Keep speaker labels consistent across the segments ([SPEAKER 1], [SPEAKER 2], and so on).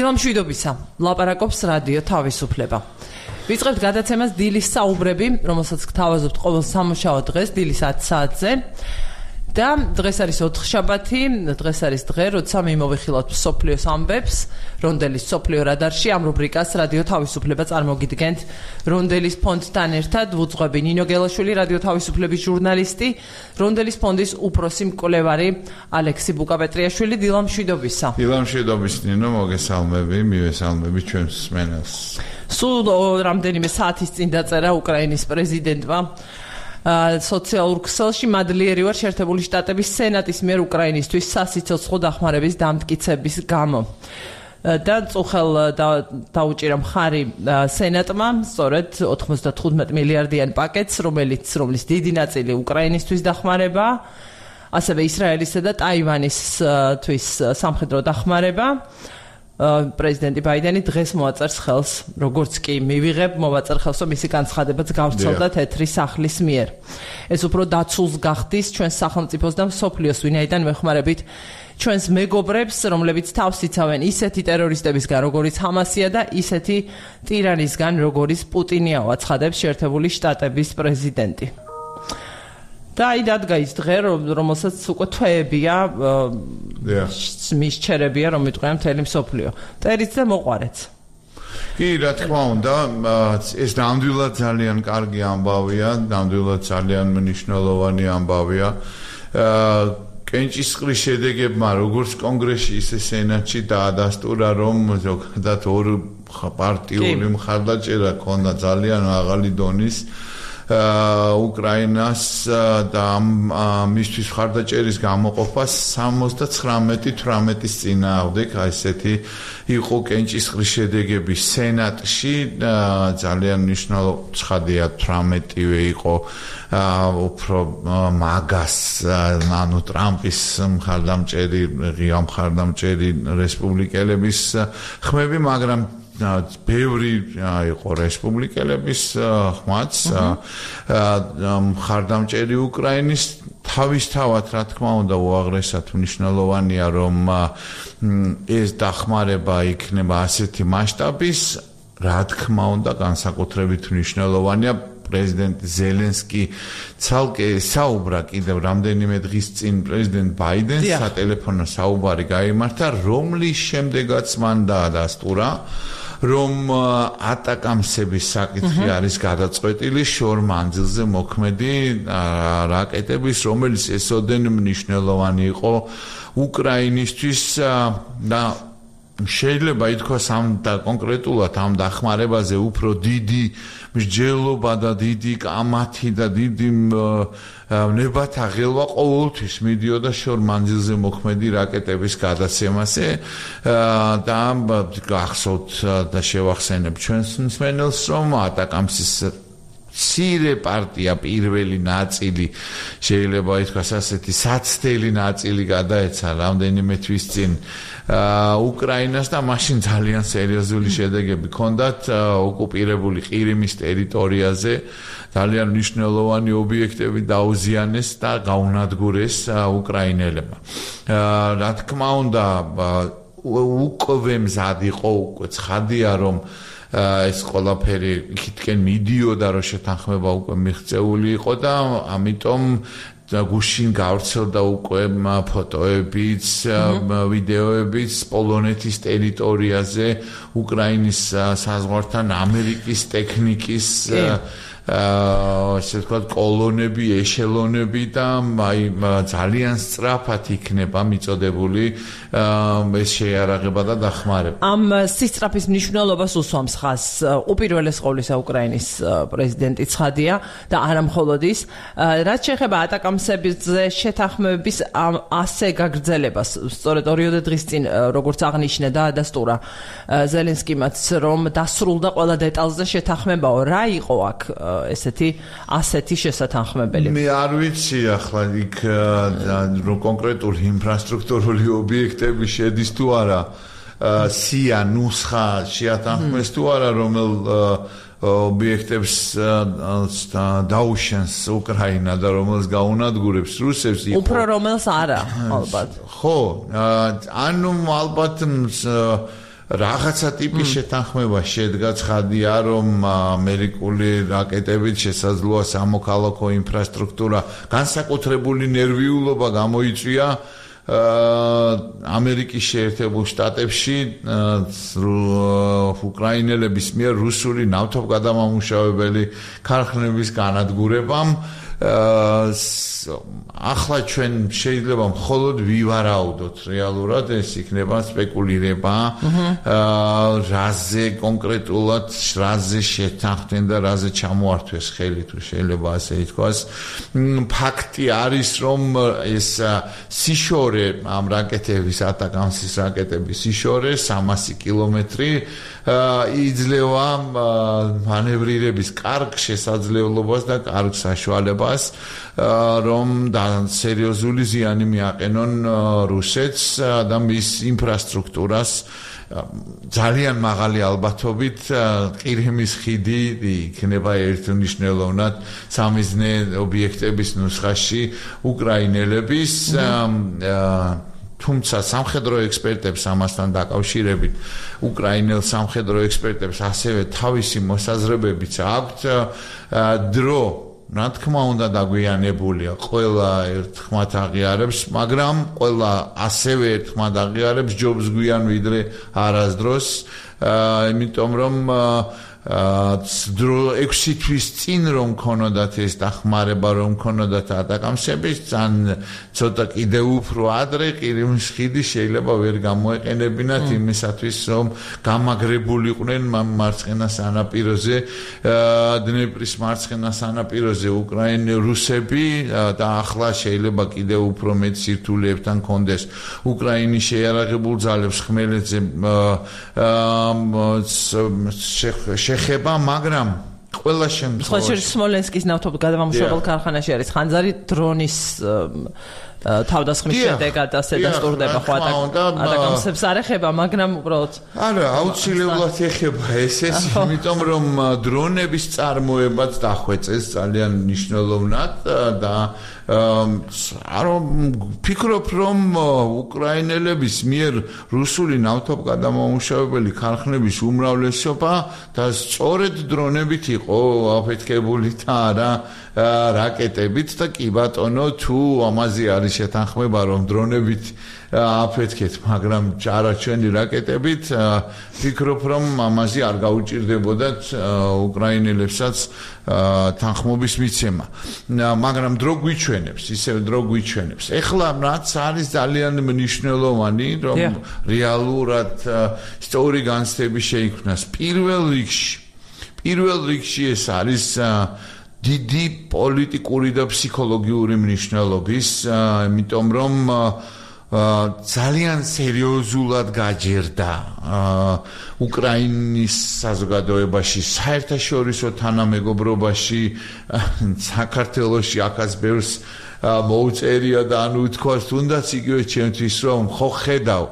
[SPEAKER 1] დილა მშვიდობისა, ლაპარაკობს რადიო თავისუფლება. ვიწყებთ გადაცემას დილის საუბრები, რომელსაც გთავაზობთ ყოველ სამუშაო დღეს დილის 10 საათზე. და დღეს არის ოთხშაბათი, დღეს არის დღე, როცა მიმოვიხილავთ მსოფლიოს ამბებს, რონდელის მსოფლიო რადარში, ამ რუბრიკას რადიო თავისუფლება წარმოგიდგენთ რონდელის ფონდთან ერთად, ვუძღვები ნინო გელაშვილი, რადიო თავისუფლების ჟურნალისტი, რონდელის ფონდის უფროსი მკვლევარი ალექსი ბუკაპეტრიაშვილი. დილა მშვიდობისა.
[SPEAKER 2] დილა მშვიდობის ნინო, მოგესალმები, მივესალმები ჩვენს მსმენელს.
[SPEAKER 1] სულ რამდენიმე საათის წინ დაწერა უკრაინის პრეზიდენტმა სოციალურ ქსელში მადლიერი ვარ შეერთებული შტატების სენატის მიერ უკრაინისთვის სასიცოცხლო დახმარების დამტკიცების გამო. და წუხელ დაუჭირა მხარი სენატმა სწორედ 95 მილიარდიან პაკეტს, რომლის დიდი ნაწილი უკრაინისთვის დახმარება, ასევე ისრაელისა და ტაივანისთვის სამხედრო დახმარება. პრეზიდენტი ბაიდენი დღეს მოაწერს ხელს, როგორც კი მივიღებ, მოვაწერ ხელს, რომ მისი განცხადებაც გავრცელდა თეთრი სახლის მიერ. ეს უფრო დაცულს გახდის ჩვენს სახელმწიფოს და მსოფლიოს, ვინაიდან მეხმარებით ჩვენს მეგობრებს, რომლებიც თავს იცავენ ისეთი ტერორისტებისგან, როგორიც ჰამასია და ისეთი ტირანისგან, როგორიც პუტინია, აცხადებს შეერთებული შტატების პრეზიდენტი. და აი დადგა ის დღე, რომელსაც უკვე თვეებია, მისჩერებია, რომ მიტყვია მთელი მსოფლიო. წერიც და მოყვარეც.
[SPEAKER 2] კი, რა თქმა უნდა, ეს ნამდვილად ძალიან კარგი ამბავია, ნამდვილად ძალიან მნიშვნელოვანი ამბავია. კენჭისყრის შედეგებმა, როგორც კონგრესში, ისე სენატში დაადასტურა, რომ ზოგადად ორ პარტიული მხარდაჭერა ქონდა ძალიან მაღალი დონის უკრაინას და მისთვის მხარდაჭერის გამოყოფას 79-18-ის წინააღმდეგ, ესეთი იყო კენჭისყრის შედეგები სენატში, ძალიან მნიშვნელოვანი ცხადია 18-ვე იყო უფრო მაგას, ანუ ტრამპის მხარდამჭერი, ღია მხარდამჭერი რესპუბლიკელების ხმები, მაგრამ ბევრი იყო რესპუბლიკელების ხმაც, მხარდამჭერი უკრაინის. თავისთავად, რა თქმა უნდა, უაღრესად მნიშვნელოვანია, რომ ეს დახმარება იქნება ასეთი მასშტაბის, რა თქმა უნდა, განსაკუთრებით მნიშვნელოვანია. პრეზიდენტ ზელენსკი ცალკე საუბრა კიდევ რამდენიმე დღის წინ პრეზიდენტ ბაიდენს სატელეფონო საუბარი გაიმართა, რომლის შემდეგაც მან დაადასტურა, რომ ატაკამსების საკითხი არის გადაწყვეტილი შორ მანძილზე მოქმედი რაკეტების, რომელიც ესოდენ მნიშვნელოვანი იყო უკრაინისთვის და შეიძლება ითქვას და კონკრეტულად ამ დახმარებაზე უფრო დიდი მსჯელობა და დიდი კამათი და დიდი ნებათა ღელვა ყოველთვის მიდიოდა შორ მანძილზე მოქმედი რაკეტების გადაცემაზე და გახსოვთ და შევახსენებ ჩვენს მსმენელს, რომ ატაკამსის მცირე პარტია, პირველი ნაწილი, შეიძლება ითქვას ასეთი საცდელი ნაწილი გადაეცა რამდენიმე თვის წინ უკრაინას და მაშინ ძალიან სერიოზული შედეგები ჰქონდათ ოკუპირებული ყირიმის ტერიტორიაზე, ძალიან მნიშვნელოვანი ობიექტები დაუზიანეს და გაუნადგურეს უკრაინელებმა. რა თქმა უნდა, უკვე მზად იყო, უკვე ცხადია, რომ ეს ყველაფერი იქითკენ მიდიოდა, რომ შეთანხმება უკვე მიღწეული იყო და ამიტომ გუშინ გავრცელდა უკვე ფოტოებიც, ვიდეოებიც პოლონეთის ტერიტორიაზე, უკრაინის საზღვართან ამერიკის ტექნიკის ასე ვთქვათ, კოლონები, ეშელონები და ძალიან სწრაფად იქნება მიწოდებული ეს შეიარაღება და დახმარება.
[SPEAKER 1] ამ სისწრაფის მნიშვნელობას უსვამს ხაზს უპირველეს ყოვლისა უკრაინის პრეზიდენტი ცხადია და არა მხოლოდ ის, რაც შეეხება ატაკამსებზე შეთანხმების ასე გაგრძელებას. სწორედ 2 დღის წინ, როგორც აღნიშნა და ადასტურა ზელენსკიმაც, რომ დასრულდა ყველა დეტალზე შეთანხმებაო. რა იყო აქ ასეთი შესათანხმებელი?
[SPEAKER 2] მე არ ვიცი ახლა იქ კონკრეტული ინფრასტრუქტურული ობიექტები შედის თუ არა, სია ნუსხა შეათანხმეს თუ არა, რომელ ობიექტებს დაუშენს უკრაინა და რომელს გაუნადგურებს რუსებს.
[SPEAKER 1] უფრო რომელს არა, ალბათ.
[SPEAKER 2] ხო, ანუ ალბათ რაღაცა ტიპის შეთანხმება შედგა ცხადია რომ ამერიკული რაკეტებით შესაძლოა სამოქალაქო ინფრასტრუქტურა განსაკუთრებული ნერვიულობა გამოიწვია ამერიკის შეერთებულ შტატებში უკრაინელების მიერ რუსული ნავთობგადამამუშავებელი ქარხნების განადგურებამ ახლა ჩვენ შეიძლება მხოლოდ ვივარაუდოთ რეალურად ეს იქნება სპეკულირება რაზე კონკრეტულად რაზე შეთანხმდნენ და რაზე ჩამოართვეს ხელი თუ შეიძლება ასე ითქვას ფაქტი არის რომ ეს სიშორე ამ რაკეტების ატაკამსის რაკეტების სიშორე 300 კილომეტრი იძლევა მანევრირების კარგ შესაძლებლობას და კარგ საშუალებას რომ სერიოზული ზიანი მიაყენონ რუსეთს და მის ინფრასტრუქტურას ძალიან მაღალი ალბათობით ყირიმის ხიდი იქნება ერთმნიშვნელოვნად სამიზნე ობიექტების ნუსხაში უკრაინელების თუმცა სამხედრო ექსპერტებს ამასთან დაკავშირებით უკრაინელ სამხედრო ექსპერტებს ასევე თავისი მოსაზრებებიც აქვთ დრო რა თქმა უნდა დაგვიანებულია ყველა ერთხმად აღიარებს მაგრამ ყველა ასევე ერთხმად აღიარებს ჯობს გვიან ვიდრე არასდროს იმიტომ რომ 6 თვის წინ რომ ქონოდათ ეს დახმარება რომ ქონოდათ ატაკამსების ან ცოტა კიდევ უფრო ადრე ყირიმის ხიდი შეიძლება ვერ გამოეყენებინათ იმისათვის რომ გამაგრებულიყვნენ მარცხენა სანაპიროზე დნეპრის მარცხენა სანაპიროზე რუსები და ახლა შეიძლება კიდევ უფრო მეტ სირთულეებთან კონდეს უკრაინის შეიარაღებულ ძალებს ხმელეთზე შეხება, მაგრამ ყველა შემთხვევაში
[SPEAKER 1] სმოლენსკის ნავთობგადამამუშავებელ ქარხანაში არის ხანძარი დრონის თავდასხმის შედეგად ასე დასტურდება ხო ატაკამსებს არ ეხება, მაგრამ უბრალოდ
[SPEAKER 2] არა, აუცილებლად ეხება ესეც, იმიტომ რომ დრონების წარმოებაც დახვეწეს ძალიან მნიშვნელოვნად და ფიქრობ რომ უკრაინელების მიერ რუსული ნავთობგადამამუშავებელი ქარხნების უმრავლესობა და სწორედ დრონებით იყო აფეთქებული და არა რაკეტებით და კი ბატონო თუ ამაზე არის შეთანხმება რომ დრონებით აფეთქეთ მაგრამ არა ჩვენი რაკეტებით ფიქრობ რომ ამაზე არ გაუჭირდებოდათ უკრაინელებსაც თანხმობის მიცემა მაგრამ დრო გვიჩვენებს ისევ დრო გვიჩვენებს ეხლა რაც არის ძალიან მნიშვნელოვანი რომ რეალურად ისტორიული განცდები შეიქმნას პირველ რიგში ეს არის დიდი პოლიტიკური და ფსიქოლოგიური მნიშვნელობის იმიტომ რომ ძალიან სერიოზულად გაჯერდა უკრაინის საზოგადოებაში საერთაშორისო თანამეგობრობაში საქართველოში აქაც ბევრს მოუწერია და ანუ თქვას თუნდაც იგივე ჩემთვის რომ ხო ხედავ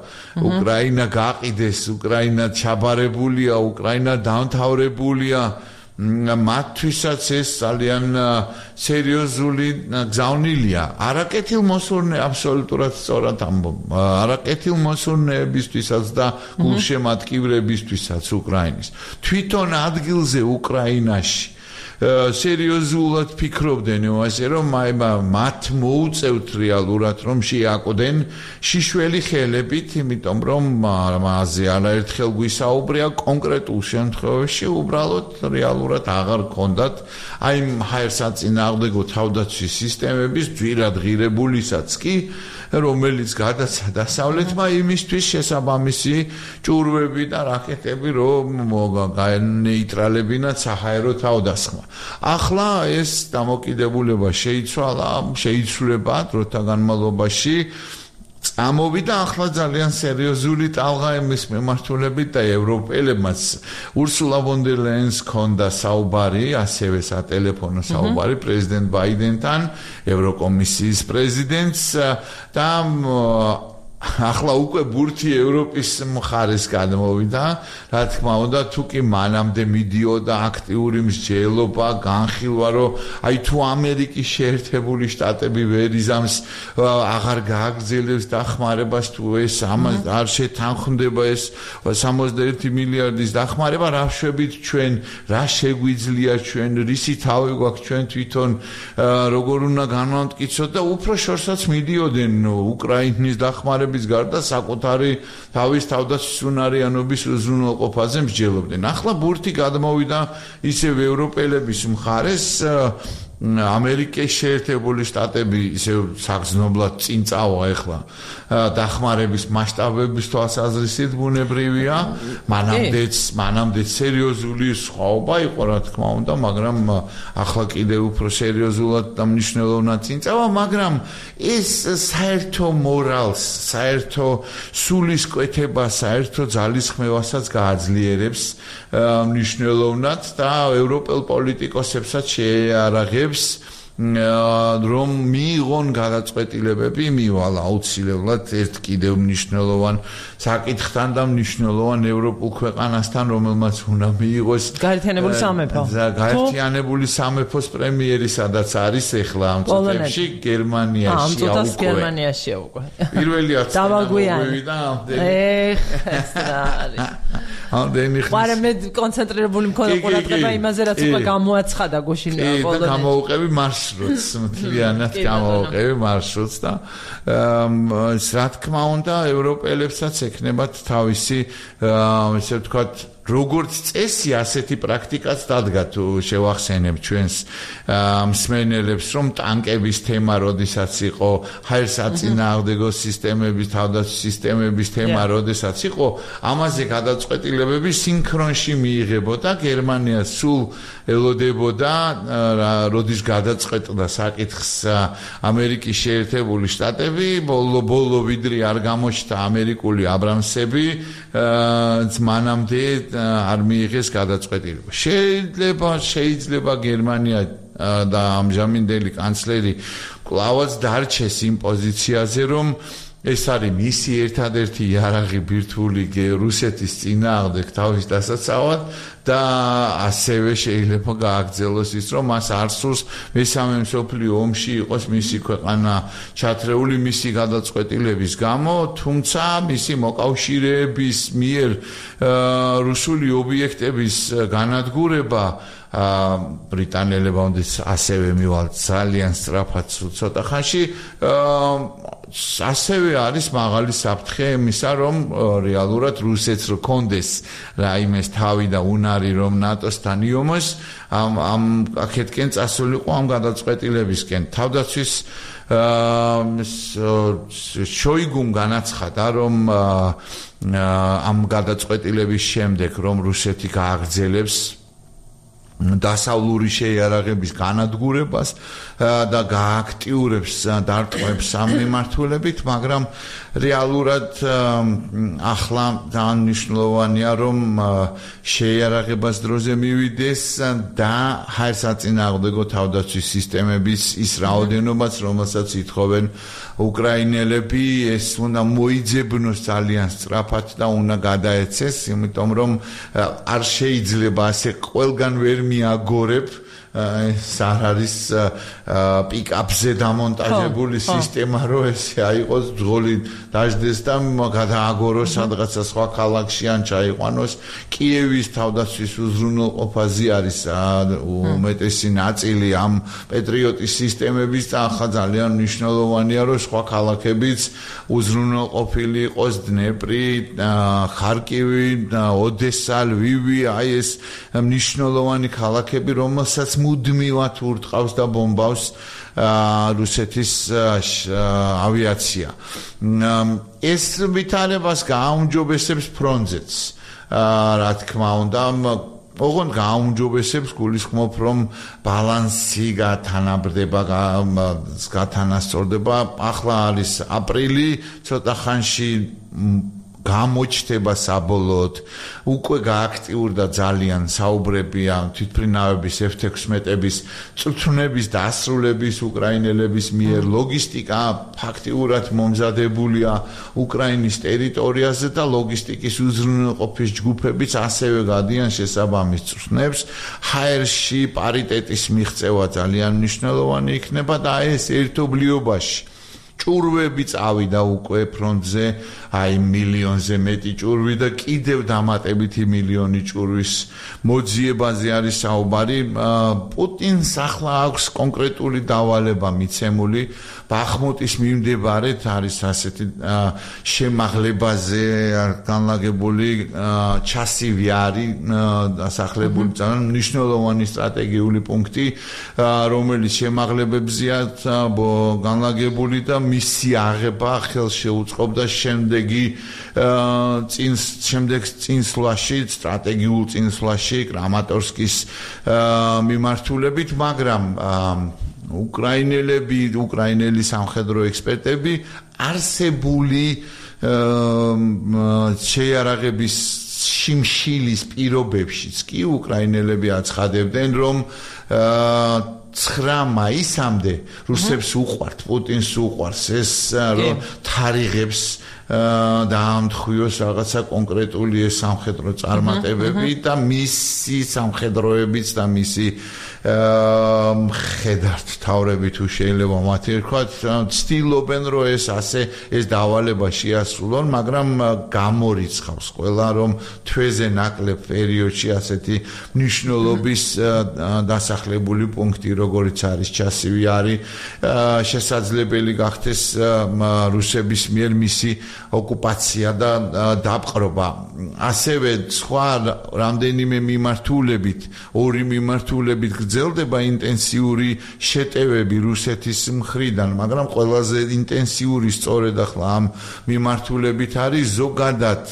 [SPEAKER 2] უკრაინა გაყიდეს უკრაინა ჩაბარებულია უკრაინა დამთავრებულია მათთვისაც ეს ძალიან სერიოზული გზავნილია არაკეთილმოსურნე აბსოლუტურად სწორად ამბობ არაკეთილმოსურნეებისთვისაც და გულშემატკივრებისთვისაც უკრაინის თვითონ ადგილზე უკრაინაში სერიოზულად ფიქრობდნენ ასე რომ მათ მოუწევთ რეალურად რომ შეაკვდნენ შიშველი ხელებით იმიტომ რომ მასზე არაერთხელ გვისაუბრია კონკრეტულ შემთხვევაში უბრალოდ რეალურად აღარ ქონდათ აი ჰაერსაწინააღმდეგო თავდაცვის სისტემების ძვირად ღირებულისაც კი რომელიც გადაცა დასავლეთმა იმისთვის შესაბამისი ჭურვები და რაკეტები რომ განეიტრალებინათ საჰაერო თავდასხმა ახლა ეს დამოკიდებულება შეიცვლება დროთა განმავლობაში წამოვიდა ახლა ძალიან სერიოზული ტალღა იმის მიმართულებით და ევროპელებმაც ურსულა ვონ დერ ლაიენს ჰქონდა საუბარი ასევე სატელეფონო საუბარი პრეზიდენტ ბაიდენთან ევროკომისიის პრეზიდენტს და ახლა უკვე ბურთი ევროპის მხარეს გადმოვიდა, რა თქმა უნდა, თუ კი მანამდე მიდიოდა აქტიური მსჯელობა, განხილვა, რომ აი თუ ამერიკის შეერთებული შტატები ვერ იზამს, აღარ გააგრძელებს დახმარებას, თუ ეს ამას არ შეთანხმდება ეს 61 მილიარდის დახმარება, რა შვებით ჩვენ, რა შეგვიძლია ჩვენ, რისი თავი გვაქვს ჩვენ თვითონ, როგორ უნდა განვამტკიცოთ და უფრო შორსაც მიდიოდნენ უკრაინის დახმარების გარდა საკუთარი თავის თავდაცვის უნარიანობის უზრუნველყოფაზე მსჯელობდნენ. ახლა ბურთი გადმოვიდა ისევ ევროპელების მხარეს, ამერიკის შეერთებული შტატები ისევ საგრძნობლად წინ წავა ახლა დახმარების მასშტაბების თვალსაზრისით ბუნებრივია, მანამდეც სერიოზული სხვაობა იყო, რა თქმა უნდა, მაგრამ ახლა კიდევ უფრო სერიოზულად და მნიშვნელოვნად წინ წავა, მაგრამ ეს საერთო მორალს, საერთო სულისკვეთებას, საერთო ძალისხმევასაც გააძლიერებს მნიშვნელოვნად და ევროპელ პოლიტიკოსებსაც შეიარაღებს, რომ მიიღონ გადაწყვეტილებები, მივალ აუცილებლად ერთ კიდევ მნიშვნელოვან საკითხთან და მნიშვნელოვან ევროპულ ქვეყანასთან, რომელმაც უნდა მიიღოს
[SPEAKER 1] გაერთიანებული სამეფო.
[SPEAKER 2] გაერთიანებული სამეფოს პრემიერი, სადაც არის ახლა ამ წუთებში გერმანიაში უკვე.
[SPEAKER 1] გერმანიაშია უკვე.
[SPEAKER 2] პირველი
[SPEAKER 1] დავაგვიანდა.
[SPEAKER 2] ამდენი ხნის.
[SPEAKER 1] მაგრამ მე კონცენტრირებული მქონდა ყურადღება იმაზე, რაც უკვე გამოაცხადა გუშინ პოლონეთში.
[SPEAKER 2] და გამოუყევი მარშრუტს, მთლიანად გამოუყევი მარშრუტს და რა თქმა უნდა, ევროპელებსაც ექნებათ თავისი, ესე ვთქვათ, როგორც წესი ასეთი პრაქტიკაც დადგა თუ შევახსენებ ჩვენს მსმენელებს, რომ ტანკების თემა როდესაც იყო, ჰაერსაწინააღმდეგო სისტემების, თავდაცვის სისტემების თემა როდესაც იყო, ამაზე გადაწყვეტილებები სინქრონში მიიღებოდა, გერმანია სულ ელოდებოდა, როდის გადაწყვეტდა საკითხს ამერიკის შეერთებული შტატები, ბოლო ვიდრე არ გამოჩნდა ამერიკული აბრამსები, მანამდე არ მიიღეს გადაწყვეტილება. შეიძლება გერმანია და ამჟამინდელი კანცლერი კლავაც დარჩეს იმ პოზიციაზე, რომ ეს არის მისი ერთადერთი იარაღი ბირთვული რუსეთის წინააღმდეგ თავის დასაცავად და ასევე შეიძლება გააგრძელოს ის, რომ მას არ სურს მესამე მსოფლიო ომში იყოს მისი ქვეყანა ჩათრეული მისი გადაწყვეტილების გამო, თუმცა მისი მოკავშირეების მიერ რუსული ობიექტების განადგურება ბრიტანელებმა ასევე მივალთ ძალიან სწრაფად ცოტა ხანში ასევე არის მაღალი საფრთხე იმისა, რომ რეალურად რუსეთს რქონდეს რაიმეს თავი და უნარი, რომ ნატოსთან იომოს, ამ აქეთკენ წასულიყო ამ გადაწყვეტილებისკენ. თავდაცვის შოიგუმ განაცხადა, რომ ამ გადაწყვეტილების შემდეგ, რომ რუსეთი გააგრძელებს დასავლური შეიარაღების განადგურებას და გააქტიურებს დარტყმებს ამ მიმართულებით, მაგრამ რეალურად ახლა ძალიან მნიშვნელოვანია, რომ შეიარაღებას დროზე მივიდეს და ჰაერსაწინააღმდეგო თავდაცვის სისტემების ის რაოდენობაც, რომელსაც ითხოვენ უკრაინელები, ეს უნდა მოიძებნოს ძალიან სწრაფად და უნდა გადაეცეს, იმიტომ რომ არ შეიძლება ასე ყველგან ვერ მიაგორებ ეს არ არის პიკაპზე დამონტაჟებული სისტემა, რომ ესე აიყოს ძღოლი დაждდეს და გადააგოროს სადღაცა სხვა ქალაქში ან ჩაიყვანოს. კიევის თავდაცვის უზრუნველყოფაზე არის უმეტესი ნაწილი ამ პეტრიოტის სისტემების და ახლა ძალიან მნიშვნელოვანია, რომ სხვა ქალაქებიც უზრუნველყოფილი იყოს, დნეპრი, ხარკივი, ოდესა, ლვივი, აი ეს მნიშვნელოვანი ქალაქები, რომელსაც მუდმივად ურტყავს და ბომბავს რუსეთის ავიაცია. ეს ვითარებას გააუმჯობესებს ფრონტზეც. რა თქმა უნდა, ოღონდ გააუმჯობესებს, გულისხმობ, რომ ბალანსი გათანასწორდება. ახლა არის აპრილი, ცოტა ხანში გამოჩნდება საბოლოოდ უკვე გააქტიურდა ძალიან საუბრები ამ თვითმფრინავების F-16-ების წვრთნების დასრულების უკრაინელების მიერ ლოგისტიკა ფაქტიურად მომზადებულია უკრაინის ტერიტორიაზე და ლოგისტიკის უზრუნველყოფის ჯგუფებიც ასევე გადიან შესაბამის წვრთნებს ჰაერში პარიტეტის მიღწევა ძალიან მნიშვნელოვანი იქნება და ეს ერთობლიობაში ჭურვები წავიდა უკვე ფრონტზე აი მილიონზე მეტი ჭურვი და კიდევ დამატებითი მილიონი ჭურვის მოძიებაზე არის საუბარი პუტინს ახლა აქვს კონკრეტული დავალება მიცემული ბახმუტის მიმდებარედ არის ასეთი შემაღლებაზე განლაგებული ჩასივი არის დასახლებული ძალიან მნიშვნელოვანი სტრატეგიული პუნქტი რომელიც შემაღლებებზეა განლაგებული და მისი აღება ხელში უწყობდა შემდეგი წინსვლაში სტრატეგიულ წინსვლაში კრამატორსკის მიმართულებით მაგრამ უკრაინელი სამხედრო ექსპერტები არსებული შეიარაღების შიმშილის პირობებშიც კი უკრაინელები აცხადებდნენ რომ 9 მაისამდე რუსებს უყვართ პუტინს უყვარს ეს რომ თარიღებს დაამთხვიოს რაღაცა კონკრეტული სამხედრო წარმატებები და მისი სამხედროებიც და მისი მხედართ თავრები თუ შეიძლება მათი ერქვათ ცდილობენ რომ ეს დავალება შეასრულონ მაგრამ გამორიცხავს ყველა რომ თვეზე ნაკლებ პერიოდში ასეთი მნიშვნელობის დასახლებული პუნქტი როგორიც არის ჩასივი არის შესაძლებელი გახდეს რუსების მიერ მისი ოკუპაცია და დაპყრობა ასევე სხვა რამდენიმე მიმართულებით ორი მიმართულებით გრძელდება ინტენსიური შეტევები რუსეთის მხრიდან მაგრამ ყველაზე ინტენსიური სწორედ ახლა ამ მიმართულებით არის ზოგადად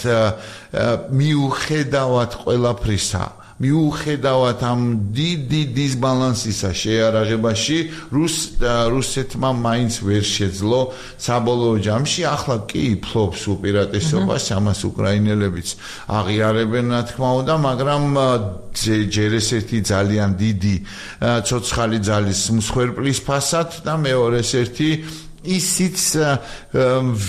[SPEAKER 2] მიუხედავად ყველაფრისა მიუხედავად ამ დიდი დისბალანსისა შეიარაღებაში რუსეთმა მაინც ვერ შეძლო საბოლოო ჯამში ახლა კი ფლობს უპირატესობას ამას უკრაინელებიც აღიარებენ რა თქმა უნდა მაგრამ ჯერ ესეთი ძალიან დიდი ცოცხალი ძალის მსხვერპლის ფასად და მეორე ერთი ისიც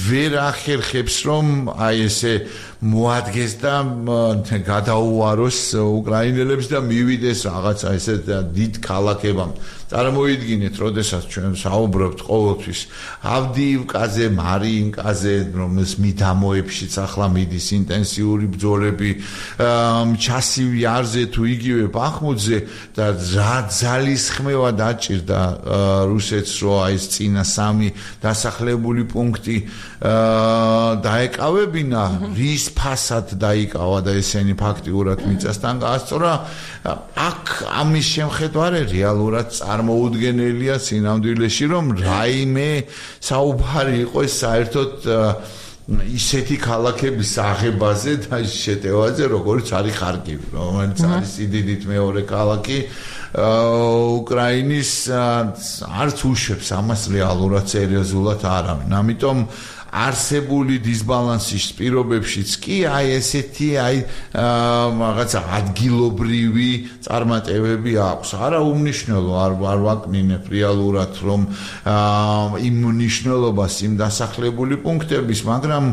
[SPEAKER 2] ვერ ახერხებს რომ აი ესე მოადგეს და გადაუაროს უკრაინელებს და მივიდეს რაღაცა ესე დიდ ქალაქებამდე წარმოიდგინეთ როდესაც ჩვენ საუბრობთ ყოველთვის ავდიივკაზე მარიინკაზე რომელს მიდამოებშიც ახლა მიდის ინტენსიური ბრძოლები ჩასივი არზე თუ იგივე ბახმუტზე და რა ძალისხმევა დაჭირდა რუსეთს რომ აი ეს წინა სამი დასახლებული პუნქტი დაეკავებინა რის ფასად დაიკავა და ესენი ფაქტიურად მიწასთან გაასწორა აქ ამის შემხედარე რეალურად წარმოუდგენელია სინამდვილეში რომ რაიმე საუბარი იყოს საერთოდ ისეთი ქალაქების აღებაზე და შეტევაზე როგორც არის ხარკივი რომელიც არის სიდიდით მეორე ქალაქი უკრაინის არც უშვებს ამას რეალურად სერიოზულად არავინ ამიტომ არსებული დისბალანსის პირობებშიც კი აი ესეთი აი რაღაცა ადგილობრივი წარმატებები აქვს. არა უმნიშვნელო არ ვაკნინებ რეალურად რომ იმ მნიშვნელობას იმ დასახლებული პუნქტების, მაგრამ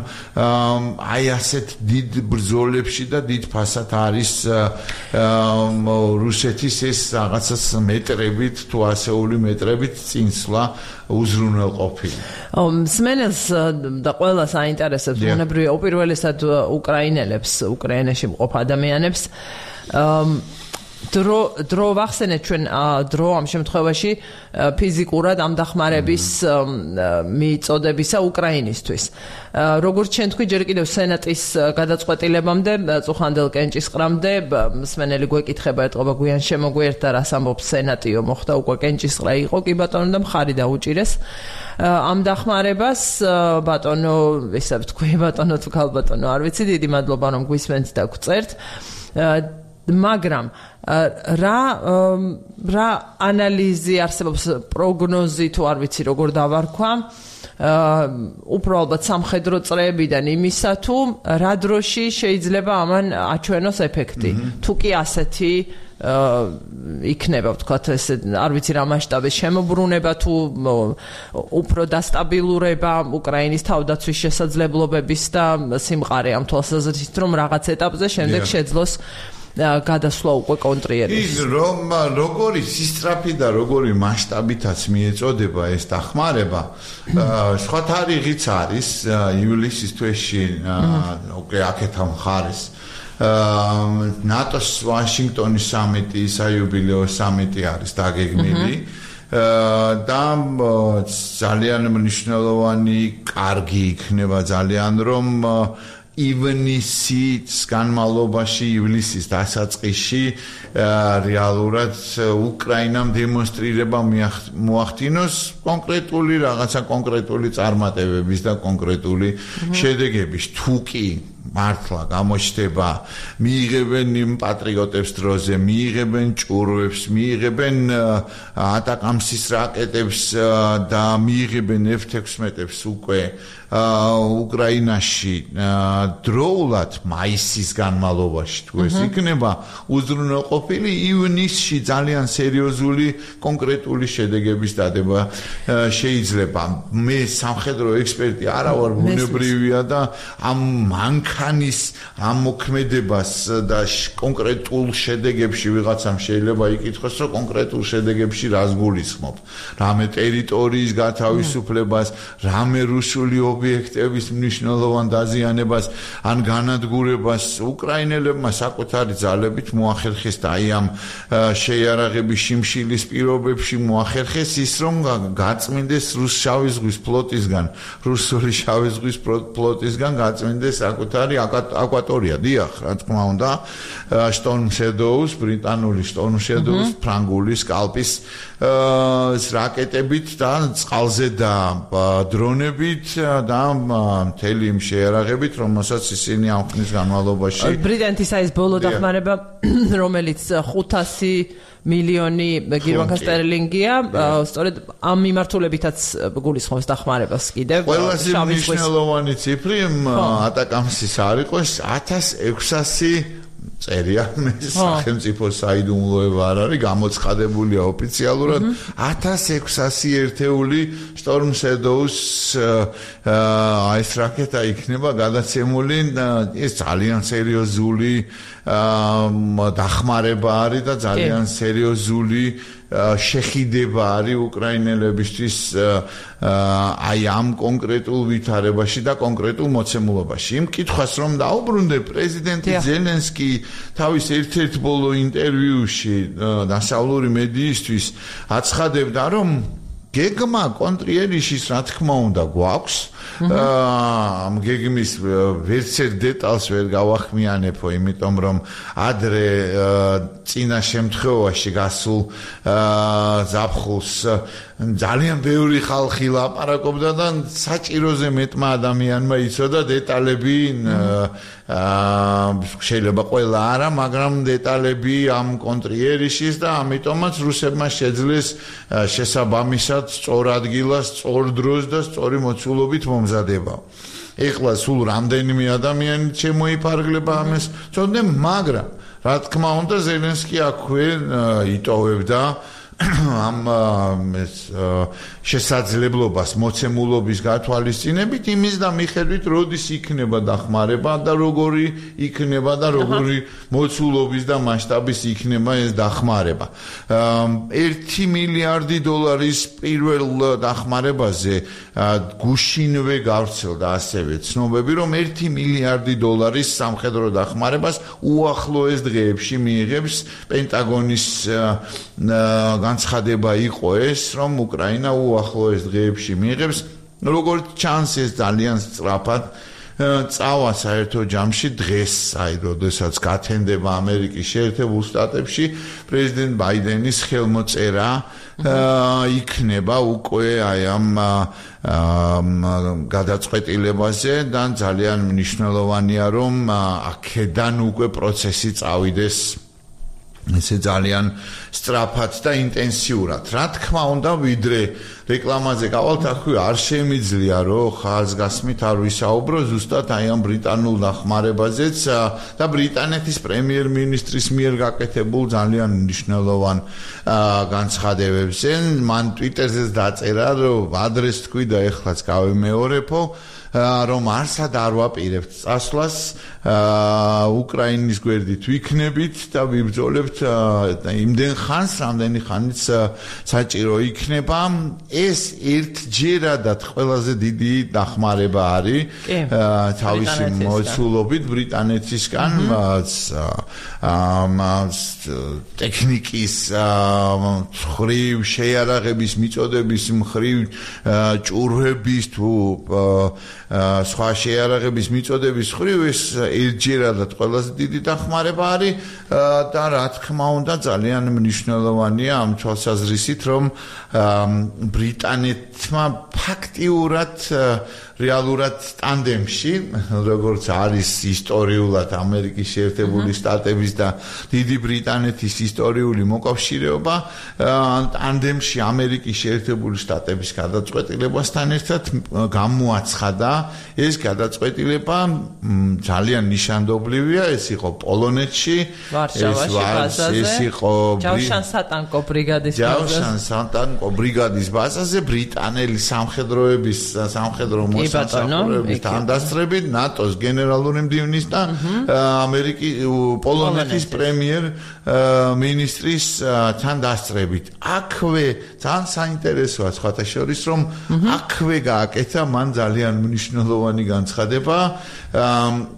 [SPEAKER 2] აი ასეთ დიდ ბრძოლებში და დიდ ფასად არის რუსეთის ეს რაღაცას მეტრებით თუ ასეული მეტრებით წინსვლა უზრუნველყოფილი.
[SPEAKER 1] მსმენელს და ყველას აინტერესებს ბუნებრივია უპირველესად უკრაინელებს, უკრაინაში მყოფ ადამიანებს დრო ვახსენეთ ჩვენ დრო ამ შემთხვევაში ფიზიკურად ამ დახმარების მიწოდებისა უკრაინისთვის. როგორც ჩვენ თქვი ჯერ კიდევ სენატის გადაწყვეტილებამდე წუხანდელ კენჭისყრამდე მსმენელი გვეკითხება ეტყობა გვიან შემოგვიერთდა რას ამბობს სენატიო მოხდა უკვე კენჭისყრა იყო კი ბატონო და მხარი დაუჭირეს ამ დახმარებას ბატონო ისე ვთქვი ბატონო თუ ქალბატონო არ ვიცი დიდი მადლობა რომ გვისმენთ და გვწერთ მაგრამ რა ანალიზი არსებობს პროგნოზი თუ არ ვიცი როგორ დავარქვა უფრო ალბათ სამხედრო წრეებიდან იმისა თუ რა დროში შეიძლება ამან აჩვენოს ეფექტი თუ კი ასეთი იქნება ვთქვათ ეს არ ვიცი რა მასშტაბის შემოbrunება თუ უფრო დასტაბილურება უკრაინის თავდაცვის შესაძლებლობების და სიმყარე ამ თვალსაზრისით რომ რაღაც ეტაპზე შემდეგ შეძლოს გადასვლა უკვე კონტრიერის.
[SPEAKER 2] ის როგორი სისწრაფი და როგორი მასშტაბითაც მიეწოდება ეს დახმარება სხვა თარიღიც არის ივლისის თვეში უკვე აქეთ ამ ხარეს ნატოს ვაშინგტონის სამიტი საიუბილეო სამიტი არის დაგეგმილი და ძალიან მნიშვნელოვანი კარგი იქნება ძალიან რომ ივნისის განმავლობაში ივლისის დასაწყისში რეალურად უკრაინამ დემონსტრირება მოახდინოს კონკრეტული რაღაცა კონკრეტული წარმატებების და კონკრეტული შედეგების თუ კი მართლა გამოჩნდება მიიღებენ იმ პატრიოტებს დროზე მიიღებენ ჭურვებს მიიღებენ ატაკამსის რაკეტებს და მიიღებენ F-16-ებს უკვე უკრაინაში დროულად მაისის განმავლობაში თუ ეს იქნება უზრუნველყოფილი ივნისში ძალიან სერიოზული კონკრეტული შედეგების დადება შეიძლება მე სამხედრო ექსპერტი არა ვარ ბუნებრივია და ამ მანქანის ამ მოქმედებას და კონკრეტულ შედეგებში ვიღაცამ შეიძლება იკითხოს რომ კონკრეტულ შედეგებში რას გულისხმობ რამე ტერიტორიის გათავისუფლებას რამე რუსული ობიექტების მნიშვნელოვან დაზიანებას ან განადგურებას უკრაინელებმა საკუთარი ძალებით მოახერხეს და აი ამ შეიარაღების შიმშილის პირობებში მოახერხეს ის რომ გაწმინდეს რუსული ზღვის ფლოტისგან რუსული შავი ზღვის ფლოტისგან გაწმინდეს საკუთარი აკვატორია დიახ რა თქმა უნდა Storm Shadows ბრიტანული Storm Shadows ფრანგული სკალპის რაკეტებით და წყალზე და დრონებით და მთელი იმ შეიარაღებით რომელსაც ისინი ამ ხნის განმავლობაში
[SPEAKER 1] ბრიტანეთის ეს ბოლო დახმარება რომელიც 500 მილიონი გირვანკა სტერლინგია სწორედ ამ მიმართულებითაც გულისხმობს დახმარებას კიდევ
[SPEAKER 2] ყველაზე მნიშვნელოვანი ციფრი ატაკამსის არ იყოს 1600 წერია მე სახელმწიფო საიდუმლოება არ არის გამოცხადებულია ოფიციალურად 1600 ერთეული Storm Shadows ეს რაკეტა იქნება გადაცემული ეს ძალიან სერიოზული დახმარება არის და ძალიან სერიოზული შეხიდება არის უკრაინელებისთვის აი ამ კონკრეტულ ვითარებაში და კონკრეტულ მოცემულობაში. იმ კითხვას რომ დაუბრუნდე პრეზიდენტი ზელენსკი თავის ერთ-ერთ ბოლო ინტერვიუში დასავლური მედიისთვის აცხადებდა რომ გეგმა კონტრიერიშის რა თქმა უნდა გვაქვს ამ გეგმის ვერცერთ დეტალს ვერ გავახმიანებო იმიტომ რომ ადრე წინა შემთხვევაში გასულ ზაფხულს ძალიან ბევრი ხალხი ლაპარაკობდა და საჭიროზე მეტმა ადამიანმა იცოდა დეტალები შეიძლება ყველა არა მაგრამ დეტალები ამ კონტრიერიშის და ამიტომაც რუსებმა შეძლეს შესაბამისად სწორ ადგილას სწორ დროს და სწორი მოცულობით მომზადება. ეხლა სულ რამდენიმე ადამიანი შემოიფარგლება ამას წოდნე მაგრამ რა თქმა უნდა ზელენსკი აქვე იტოვებდა ამ შესაძლებლობას მოცემულობის გათვალისწინებით იმის და მიხედვით როდის იქნება დახმარება და როგორი იქნება და როგორი მოცულობის და მასშტაბის იქნება ეს დახმარება 1 მილიარდი დოლარის პირველ დახმარებაზე გუშინვე გავრცელდა ასევე ცნობები რომ 1 მილიარდი დოლარის სამხედრო დახმარებას უახლოეს დღეებში მიიღებს პენტაგონის განცხადება იყო ეს რომ უკრაინა უახლოეს დღეებში მიიღებს როგორც ჩანს ეს ძალიან სწრაფად წავა საერთო ჯამში დღეს აი როდესაც გათენდება ამერიკის შეერთებულ შტატებში პრეზიდენტ ბაიდენის ხელმოწერა იქნება უკვე აი ამ გადაწყვეტილებაზე და ძალიან მნიშვნელოვანია რომ აქედან უკვე პროცესი წავიდეს ესე ძალიან სწრაფად და ინტენსიურად. Რა თქმა უნდა, ვიდრე რეკლამაზე გავალთ, აქვე არ შემიძლია, რომ ხაზგასმით არ ვისაუბრო ზუსტად აი ამ ბრიტანულ დახმარებაზეც და ბრიტანეთის პრემიერ-მინისტრის მიერ გაკეთებულ ძალიან მნიშვნელოვან განცხადებებზე. მან Twitter-ზეც დაწერა, რომ ადრეს თქვი და ეხლაც გავიმეორებო, რომ არსად არ ვაპირებთ წასვლას უკრაინის გვერდით ვიქნებით და ვიბრძოლებთ იმდენ ხანს, რამდენი ხანიც საჭირო იქნება. ეს ერთჯერადად ყველაზე დიდი დახმარება არის თავისი მოცულობით ბრიტანეთისგან ტექნიკის მხრივ, შეიარაღების მიწოდების მხრივ, ჭურვების თუ სხვა შეიარაღების მიწოდების მხრივ ეს ერთჯერადად ყველაზე დიდი დახმარება არის და რა თქმა უნდა ძალიან მნიშვნელოვანია ამ თვალსაზრისით, რომ ბრიტანეთმა ფაქტიურად რეალურად ტანდემში, როგორც არის ისტორიულად ამერიკის შეერთებული შტატების და დიდი ბრიტანეთის ისტორიული მოკავშირეობა, ტანდემში ამერიკის შეერთებული შტატების გადაწყვეტილებასთან ერთად გამოაცხადა ეს გადაწყვეტილება ძალიან ნიშანდობლივია, ეს იყო პოლონეთში, ეს იყო
[SPEAKER 1] ჯავშან-სატანკო
[SPEAKER 2] ბრიგადის ბაზაზე, ბრიტანელი სამხედროების სამხედრო მოსამსახურების თანდასწრებით, ნატოს გენერალური მდივნის და პოლონეთის პრემიერ-მინისტრის თანდასწრებით. აქვე ძალიან საინტერესოა სხვათა შორის, რომ აქვე გააკეთა მან ძალიან მნიშვნელოვანი განცხადება,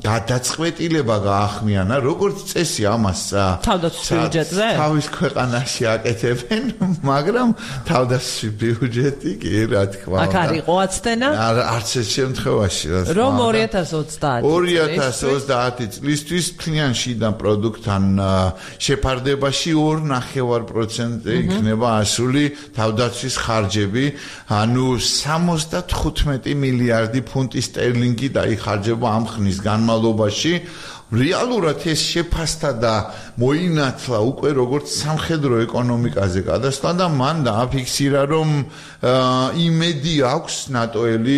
[SPEAKER 2] გადაწყვეტილება გაახმიანა, როგორც წესი ამას
[SPEAKER 1] თავდაცვის ბიუჯეტზე
[SPEAKER 2] თავის ქვეყანაში აკეთებენ, მაგრამ თავდაცვის ბიუჯეტი კი რა თქმა უნდა.
[SPEAKER 1] აქ არ იყო აცდენა?
[SPEAKER 2] არც ეს შემთხვევაში
[SPEAKER 1] რომ 2030
[SPEAKER 2] წლისთვის მთლიან შიდა პროდუქტთან შეფარდებაში 2.5% იქნება ასული თავდაცვის ხარჯები, ანუ 75 მილიარდი ფუნტი სტერლინგი დაიხარჯება ამ ხნის განმავლობაში. რეალურად ეს შეფასდა და მოინათლა უკვე როგორც სამხედრო ეკონომიკაზე გადასვლა და მან დააფიქსირა, რომ იმედი აქვს ნატოელი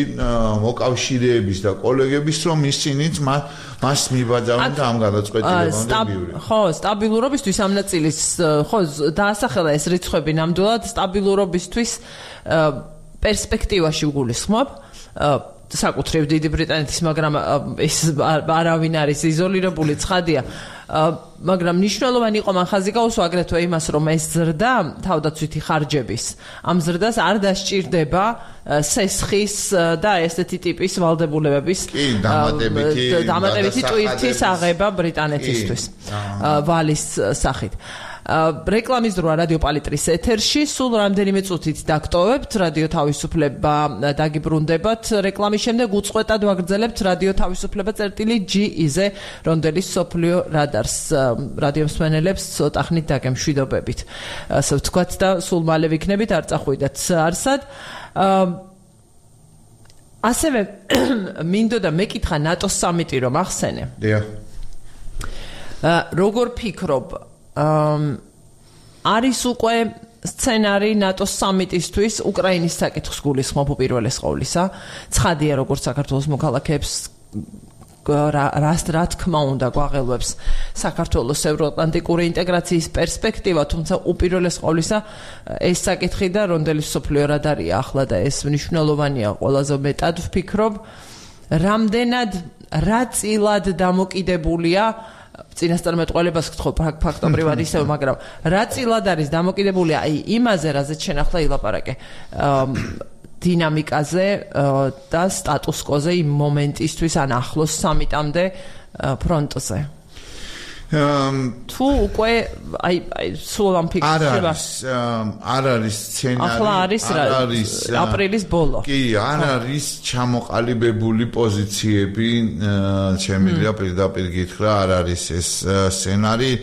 [SPEAKER 2] მოკავშირეების და კოლეგების, რომ ისინიც მას მიბაძავენ და ამ გადაწყვეტილებამდე მივიდნენ.
[SPEAKER 1] ხო, სტაბილურობისთვის ამ ნაწილის ხო დაასახელა ეს რიცხვები ნამდვილად სტაბილურობისთვის პერსპექტივაში გულისხმობ. საკუთრივ დიდი ბრიტანეთის, მაგრამ ეს არავინ არის იზოლირებული ცხადია. მაგრამ მნიშვნელოვანი იყო მან ხაზი გაუსვა აგრეთვე იმას, რომ ეს ზრდა თავდაცვითი ხარჯების ამ ზრდას არ დასჭირდება სესხის და ესეთი ტიპის ვალდებულებების დამატებითი ტვირთის აღება ბრიტანეთისთვის ვალის სახით. რეკლამის დროა რადიო პალიტრის ეთერში, სულ რამდენიმე წუთით დაგტოვებთ რადიო თავისუფლება, დაგიბრუნდებათ რეკლამის შემდეგ უწყვეტად ვაგრძელებთ რადიო თავისუფლება.gi-ზე, რონდელის სოფლიო რადარს რადიო მსმენელებს ცოტა ხნით დაგემშვიდობებით. ასე ვთქვათ და სულ მალე ვიქნებით, არ წახვიდათ არსად. ასევე მინდოდა მეკითხა ნატოს სამიტი რომ ახსენე. როგორ ფიქრობ, არის უკვე სცენარი ნატოს სამიტისთვის უკრაინის საკითხს გულისხმობ უპირველეს ყოვლისა. ცხადია, როგორც საქართველოს მოქალაქეებს რა თქმა უნდა გვაღელვებს საქართველოს ევროატლანტიკური ინტეგრაციის პერსპექტივა, თუმცა უპირველეს ყოვლისა ეს საკითხი და რონდელის სოფლიო რადარია ახლა და ეს მნიშვნელოვანია ყველაზე მეტად ვფიქრობ, რამდენად რა წილად დამოკიდებულია წინასწარმეტყველებას გთხოვ ფაქტობრივად ისევ, მაგრამ რა წილად არის დამოკიდებული აი იმაზე, რაზეც შენ ახლა ილაპარაკე, დინამიკაზე და სტატუს-კვოზე იმ მომენტისთვის ან ახლოს სამიტამდე ფრონტზე. თუ უკვე აი სულ ამ ფიქრება
[SPEAKER 2] არ არის სცენარი,
[SPEAKER 1] ახლა არის აპრილის ბოლო.
[SPEAKER 2] კი, არ არის ჩამოყალიბებული პოზიციები, შემიძლია პირდაპირ გითხრა, არ არის ეს სცენარი.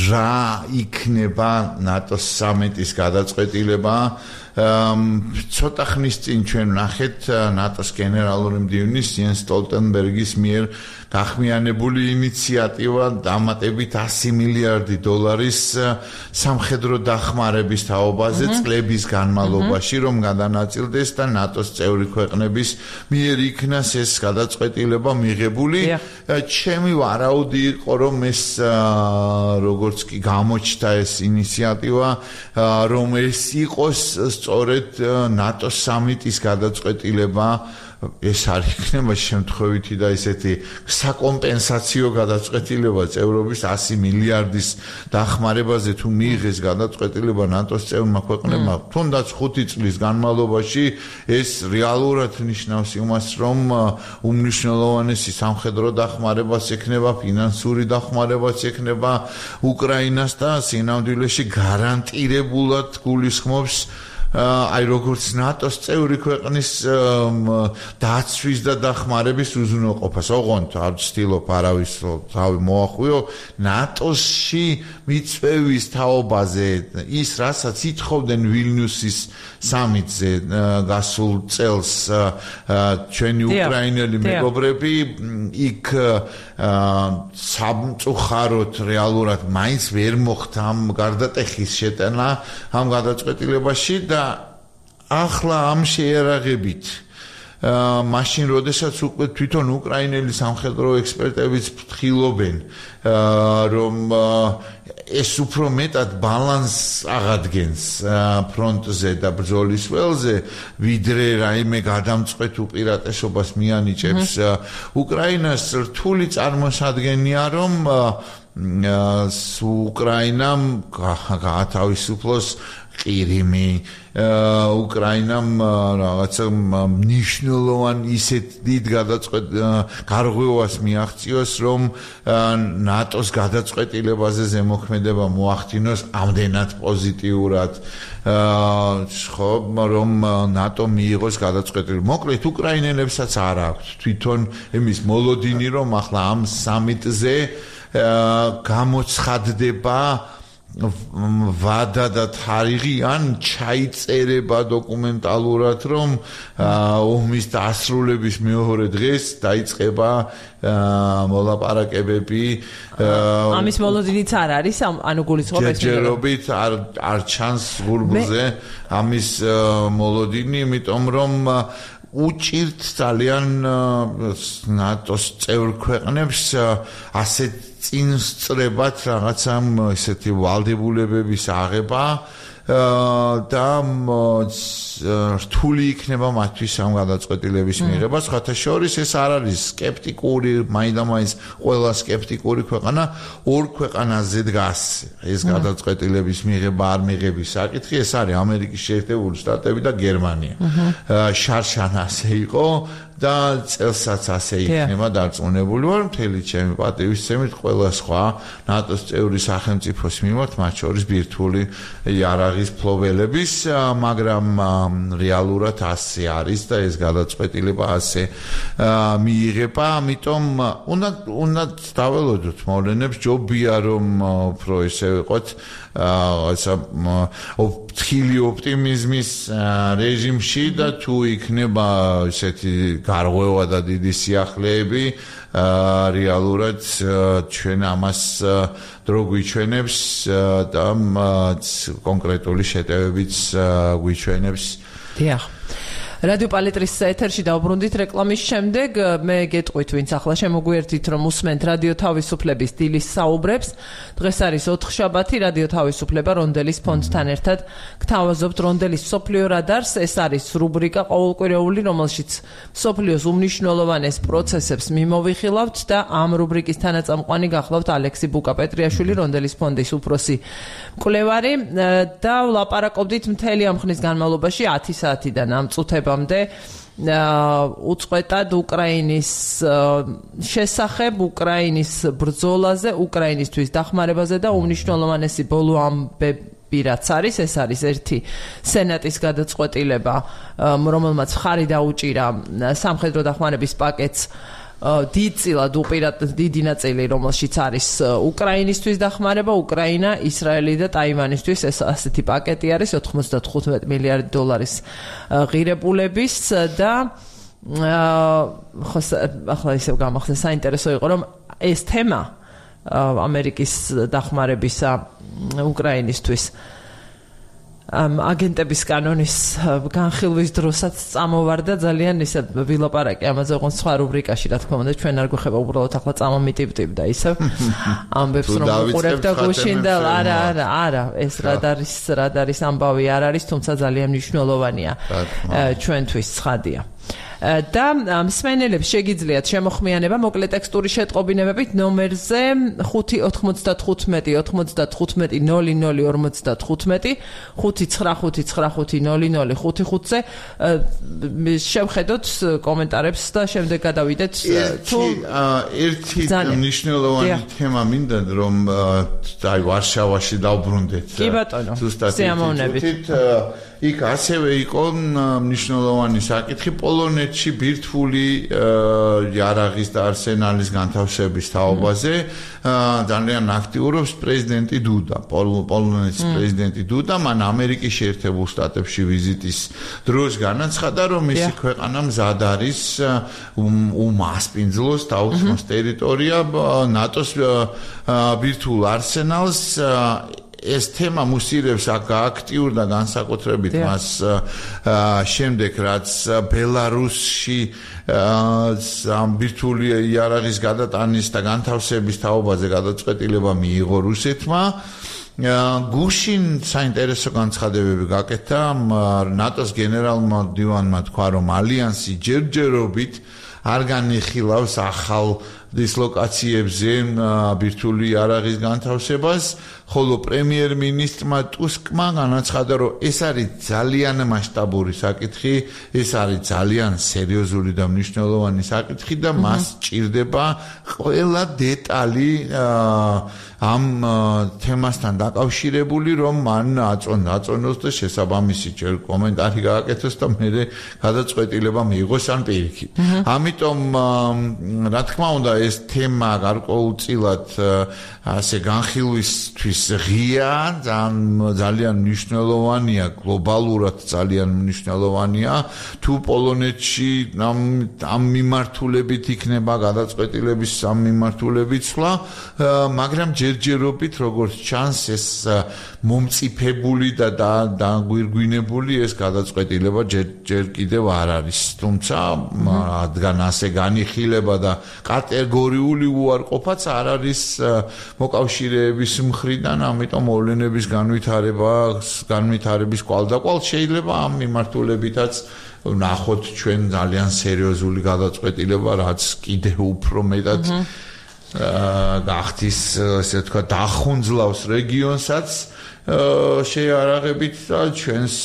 [SPEAKER 2] რა იქნება ნატოს სამიტის გადაწყვეტილება, ცოტა ხნის წინ ჩვენ ვნახეთ ნატოს გენერალური მდივნის იენს სტოლტენბერგის მიერ გახმიანებული ინიციატივა დამატებით 100 მილიარდი დოლარის სამხედრო დახმარების თაობაზე წლების განმავლობაში რომ გადანაწილდეს და ნატოს წევრი ქვეყნების მიერ იქნას ეს გადაწყვეტილება მიღებული. ჩემი ვარაუდი იყო რომ ეს როგორც კი გამოჩნდა ეს ინიციატივა რომ ეს იყოს სწორედ ნატოს სამიტის გადაწყვეტილება ეს არ იქნება შემთხვევითი და ესეთი საკომპენსაციო გადაწყვეტილება წევრობის 100 მილიარდის დახმარებაზე თუ მიიღეს გადაწყვეტილება ნატოს წევრმა ქვეყნებმა თუნდაც 5 წლის განმავლობაში ეს რეალურად ნიშნავს იმას რომ უმნიშვნელოვანესი სამხედრო დახმარებაც ექნება ფინანსური დახმარებაც ექნება უკრაინას და სინამდვილეში გარანტირებულად გულისხმობს აი როგორც ნატოს წევრი ქვეყნის დაცვის და დახმარების უზრუნველყოფას. ოღონდ არ ვცდილობ არავის თავი მოახვიო ნატოსში მიწვევის თაობაზე ის რასაც ითხოვდნენ ვილნიუსის სამიტზე გასულ წელს ჩვენი უკრაინელი მეგობრები იქ სამწუხაროდ რეალურად მაინც ვერ მოხდა ამ გარდატეხის შეტანა ამ გადაწყვეტილებაში და ახლა ამ შეერაღებით მაშინ როდესაც უკვე თვითონ უკრაინელი სამხედრო ექსპერტებიც ფრთხილობენ რომ ეს უფრო მეტად ბალანსს აღადგენს ფრონტზე და ბრძოლის ველზე ვიდრე რაიმე გადამწყვეტ უპირატესობას მიანიჭებს უკრაინას რთული წარმოსადგენია რომ უკრაინამ გაათავისუფლოს ყირიმი უკრაინამ რაღაცა მნიშვნელოვან ისეთ დიდ გარღვევას მიაღწიოს რომ ნატოს გადაწყვეტილებაზე ზემოქმედება მოახდინოს ამდენად პოზიტიურად ხო რომ ნატო მიიღოს გადაწყვეტილება მოკლედ უკრაინელებსაც არ აქვს თვითონ იმის მოლოდინი რომ ახლა ამ სამიტზე გამოცხადდება ვადა და თარიღი ან ჩაიწერება დოკუმენტალურად რომ ომის დასრულების მეორე დღეს დაიწყება მოლაპარაკებები
[SPEAKER 1] ამის მოლოდინიც არ არის ანუ გულისხმობ ეს
[SPEAKER 2] ჯერჯერობით არ ჩანს გურგულზე ამის მოლოდინი იმიტომ რომ უჭირთ ძალიან ნატოს წევრ ქვეყნებს ასეთ წინსწრებად რაღაცა ესეთი ვალდებულებების აღება და რთული იქნება მათთვის ამ გადაწყვეტილების მიღება. სხვათა შორის ეს არ არის სკეპტიკური, მაინდამაინც ყველა სკეპტიკური ქვეყანა ორ ქვეყანაზე დგას. ეს გადაწყვეტილების მიღება არ მიღების საკითხი, ეს არის ამერიკის შეერთებული შტატები და გერმანია. შარშან ასე იყო და წელსაც ასე იქნება დარწმუნებული ვარ, მთელი ჩემი პატივისცემით ყველა სხვა ნატოს წევრი სახელმწიფოს მიმართ, მათ შორის ბირთვული იარაღის ფლობელების, მაგრამ რეალურად ასე არის და ეს გადაწყვეტილება ასე მიიღება, ამიტომ უნდა დაველოდოთ მოვლენებს, ჯობია რომ უფრო ესე ვიყოთ ფრთხილი ოპტიმიზმის რეჟიმში და თუ იქნება ესეთი გარღვევა და დიდი სიახლეები რეალურად ჩვენ ამას დრო გვიჩვენებს და კონკრეტული შეტევებიც გვიჩვენებს.
[SPEAKER 1] დიახ. რადიო პალიტრის ეთერში დავბრუნდით რეკლამის შემდეგ მე გეტყვით ვინც ახლა შემოგვიერთით რომ უსმენთ რადიო თავისუფლების დილის საუბრებს დღეს არის ოთხშაბათი რადიო თავისუფლება რონდელის ფონდთან ერთად გთავაზობთ რონდელის მსოფლიო რადარს ეს არის რუბრიკა ყოველკვირეული რომელშიც მსოფლიოს უმნიშვნელოვანეს პროცესებს მიმოვიხილავთ და ამ რუბრიკის თანაწამყვანი გახლავთ ალექსი ბუკა-პეტრიაშვილი რონდელის ფონდის უფროსი მკვლევარი და ვლაპარაკობდით მთელი ამ ხნის განმავლობაში 10 საათიდან ამ წუთებამდე უწყვეტად უკრაინის შესახებ, უკრაინის ბრძოლაზე, უკრაინისთვის დახმარებაზე და უმნიშვნელოვანესი ბოლო ამბები რაც არის, ეს არის ერთი სენატის გადაწყვეტილება, რომელმაც მხარი დაუჭირა სამხედრო დახმარების პაკეტს დიდწილად დიდი ნაწილი რომელშიც არის უკრაინისთვის დახმარება, უკრაინა, ისრაელი და ტაივანისთვის ეს ასეთი პაკეტი არის 95 მილიარდი დოლარის ღირებულების და ახლა ისევ გამახსენე საინტერესო იყო რომ ეს თემა ამერიკის დახმარებისა უკრაინისთვის აგენტების კანონის განხილვის დროსაც წამოვარდა ძალიან ისე ვილაპარაკე ამაზე ოღონდ სხვა რუბრიკაში რა თქმა უნდა ჩვენ არ გვეხება უბრალოდ ახლა წამომიტივტივ და ისევ ამბებს რომ უყურებ და გუშინდელ არა ეს რადარის ამბავი არ არის თუმცა ძალიან მნიშვნელოვანია ჩვენთვის ცხადია და მსმენელებს შეგიძლიათ შემოხმიანება მოკლე ტექსტური შეტყობინებებით ნომერზე 595 95 00 599550055-ზე შევხედოთ კომენტარებს და შემდეგ გადავიდეთ
[SPEAKER 2] თუ ერთი მნიშვნელოვანი თემა მინდა რომ აი ვარშავაში დავბრუნდეთ
[SPEAKER 1] კი ბატონო სიამოვნებით
[SPEAKER 2] იქ ასევე იყო მნიშვნელოვანი საკითხი პოლონეთში ბირთვული იარაღის და არსენალის განთავსების თაობაზე ძალიან აქტიურობს პრეზიდენტი დუდა პოლონეთის პრეზიდენტი დუდა მან ამერიკის შეერთებულ შტატებში ვიზიტის დროს განაცხადა რომ მისი ქვეყანა მზად არის უმასპინძლოს დაუცმოს ტერიტორია ნატოს ბირთვულ არსენალს ეს თემა მუსირებს აქტიურ და განსაკუთრებით მას შემდეგ რაც ბელარუსში ბირთვული იარაღის გადატანის და განთავსების თაობაზე გადაწყვეტილება მიიღო რუსეთმა გუშინ საინტერესო განცხადებები გაკეთა ნატოს გენერალმა მდივანმა თქვა რომ ალიანსი ჯერჯერობით არ განიხილავს ახალ დისლოკაციებზე ბირთვული იარაღის განთავსებას ხოლო პრემიერ-მინისტრმა ტუსკმა განაცხადა რომ ეს არის ძალიან მასშტაბური საკითხი ეს არის ძალიან სერიოზული და მნიშვნელოვანი საკითხი და მას ჭირდება ყველა დეტალი ამ თემასთან დაკავშირებული რომ მან აწონოს და შესაბამისი ჯერ კომენტარი გააკეთოს და მე გადაწყვეტილება მიიღოს ან პირიქით ამიტომ რა თქმა უნდა ეს თემა გარკვეულწილად ასე განხილვისთვის ღია ძალიან მნიშვნელოვანია გლობალურად ძალიან მნიშვნელოვანია თუ პოლონეთში ამ მიმართულებით იქნება გადაწყვეტილების ამ მიმართულებით სვლა მაგრამ ჯერჯერობით როგორც ჩანს ეს მომწიფებული და დაგვირგვინებული ეს გადაწყვეტილება ჯერ კიდევ არ არის თუმცა რადგან ასე განიხილება და კატეგორიული უარყოფაც არ არის მოკავშირეების მხრიდან ამიტომ მოვლენების განვითარების კვალდაკვალ შეიძლება ამ მიმართულებითაც ნახოთ ჩვენ ძალიან სერიოზული გადაწყვეტილება რაც კიდევ უფრო მეტად გახდის ესე თქვა დახუნძლავს რეგიონსაც შეიარაღებით და ჩვენს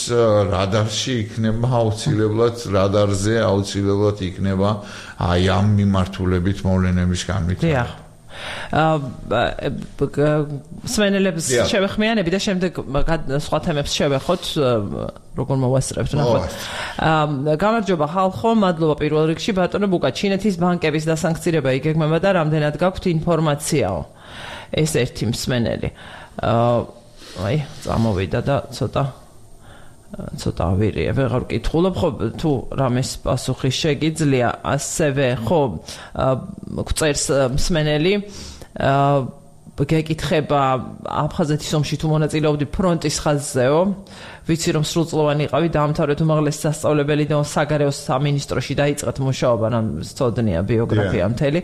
[SPEAKER 2] რადარში იქნება აუცილებლად რადარზე აუცილებლად იქნება აი ამ მიმართულებით მოვლენების განვითარება
[SPEAKER 1] სვენელებს შევეხმიანები და შემდეგ სხვა თემებს შევეხოთ როგორ მოვასწრებთ ნახოთ გამარჯობა ხალხო მადლობა პირველ რიგში ბატონო ბუკა ჩინეთის ბანკების დასანქცირება იგეგმება და რამდენად გაქვთ ინფორმაციაო ეს ერთი მსმენელი აი წამოვიდა და ცოტა ავირია ვეღარ ვკითხულობ ხო თუ რამეს პასუხი შეგიძლია ასევე ხო გვწერს მსმენელი გეკითხება აფხაზეთის ომში თუ მონაწილეობდი ფრონტის ხაზზეო ვიცი რომ სრულწლოვანი იყავი დაამთავრეთ უმაღლესი სასწავლებელი და საგარეო სამინისტროში დაიწყეთ მუშაობა რა სწოდნია ბიოგრაფია მთელი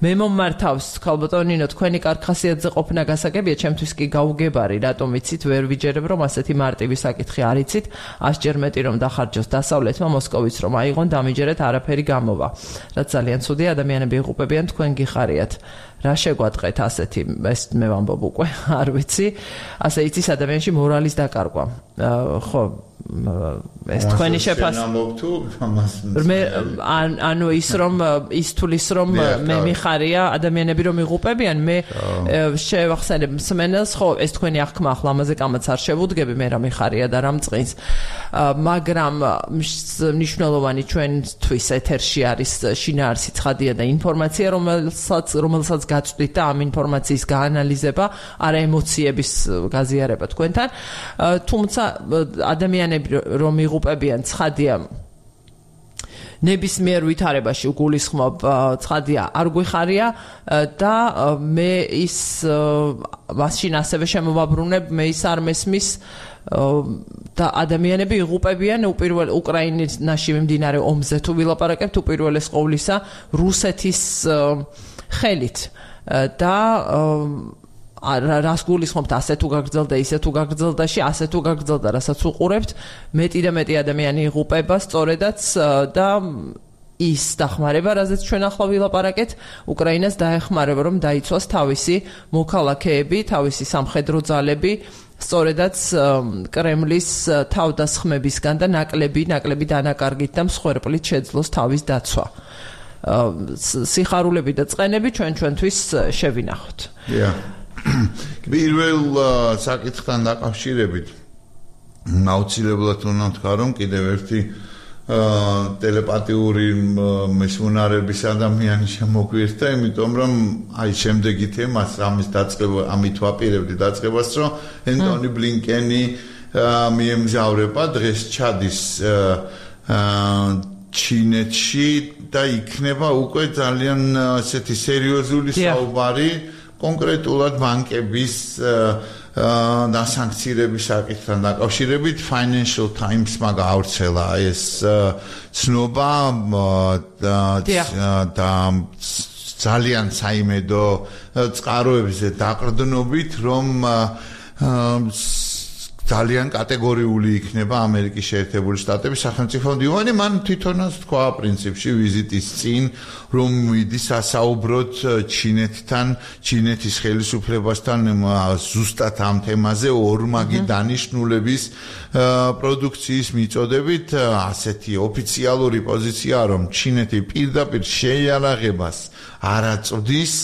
[SPEAKER 1] მე მომმართავს ქალბატონინო თქვენი კარგ ხასიათზე ყოფნა გასაგებია ჩემთვის კი გაუგებარი რატომ ვიცით ვერ ვიჯერებ რომ ასეთი მარტივი საკითხი არ იცით 100 ჯერ მეტი რომ დახარჯოს დასავლეთმა მოსკოვიც რომ აიღონ დამიჯერეთ არაფერი გამოვა რაც ძალიან ცუდი ადამიანები იღუპებიან თქვენ გიხარიათ რა შეგვატყეთ ასეთი ეს მე ვამბობ უკვე არ ვიცი ასე იცის ადამიანში მორალის დაკარგვა ხო ეს თქვენი შეფასება მე ანუ ის რომ ის თulis რომ მე მიხარია ადამიანები რომ იღუპებიან მე შევახსენებ მსმენელს ხო ეს თქვენი აღქმა ახლა ამაზე კამაც არ შევუდგები მე რა მიხარია და რა მწყინს მაგრამ მნიშვნელოვანი ჩვენთვის ეთერში არის შინაარსი ცხადია და ინფორმაცია, რომელსაც გაწვდით და ამ ინფორმაციის გაანალიზება, არა ემოციების გაზიარება თქვენთან. თუმცა ადამიანები რომ იღუპებიან ცხადია ნებისმიერ ვითარებაში გულისხმობ ცხადია არ გვიხარია და მე ის მაშინ ასევე შემოვაბრუნებ მე ის არ მესმის და ადამიანები იღუპებიან უკრაინაში მიმდინარე ომზე თუ ვილაპარაკებთ უპირველეს ყოვლისა რუსეთის ხელით და რას გულისხმობთ ასე თუ გაგრძელდა ისე თუ გაგრძელდაში ასე თუ გაგრძელდა რასაც უყურებთ მეტი და მეტი ადამიანი იღუპება სწორედაც და ის დახმარება რაზეც ჩვენ ახლა ვილაპარაკეთ უკრაინას დაეხმარება რომ დაიცვას თავისი მოქალაქეები თავისი სამხედრო ძალები სწორედაც კრემლის თავდასხმებისგან და ნაკლები დანაკარგით და მსხვერპლით შეძლოს თავის დაცვა სიხარულები და წყენები ჩვენთვის შევინახოთ
[SPEAKER 2] პირველ საკითხთან დაკავშირებით აუცილებლად უნდა ვთქვა რომ კიდევ ერთი ტელეპათიური მისუნარების ადამიანი შემოგვიერთდა, იმიტომ რომ აი შემდეგი თემას ამის დაწყება, ამით ვაპირებდი დაწყებას, რომ ენტონი ბლინკენი მიემგზავრება დღეს ჩადის ჩინეთში და იქნება უკვე ძალიან ასეთი სერიოზული საუბარი კონკრეტულად ბანკების დასანქცირების საკითხთან დაკავშირებით Financial Times-მა გაავრცელა ეს ცნობა და ძალიან საიმედო წყაროებზე დაყრდნობით რომ ძალიან კატეგორიული იქნება ამერიკის შეერთებული შტატების სახელმწიფო მდივანი მან თვითონაც თქვა პრინციპში ვიზიტის წინ რომ მიდის ასაუბროთ ჩინეთთან ჩინეთის ხელისუფლებასთან ზუსტად ამ თემაზე ორმაგი დანიშნულების პროდუქციის მიწოდებით ასეთი ოფიციალური პოზიცია რომ ჩინეთი პირდაპირ შეიარაღებას არ აწვდის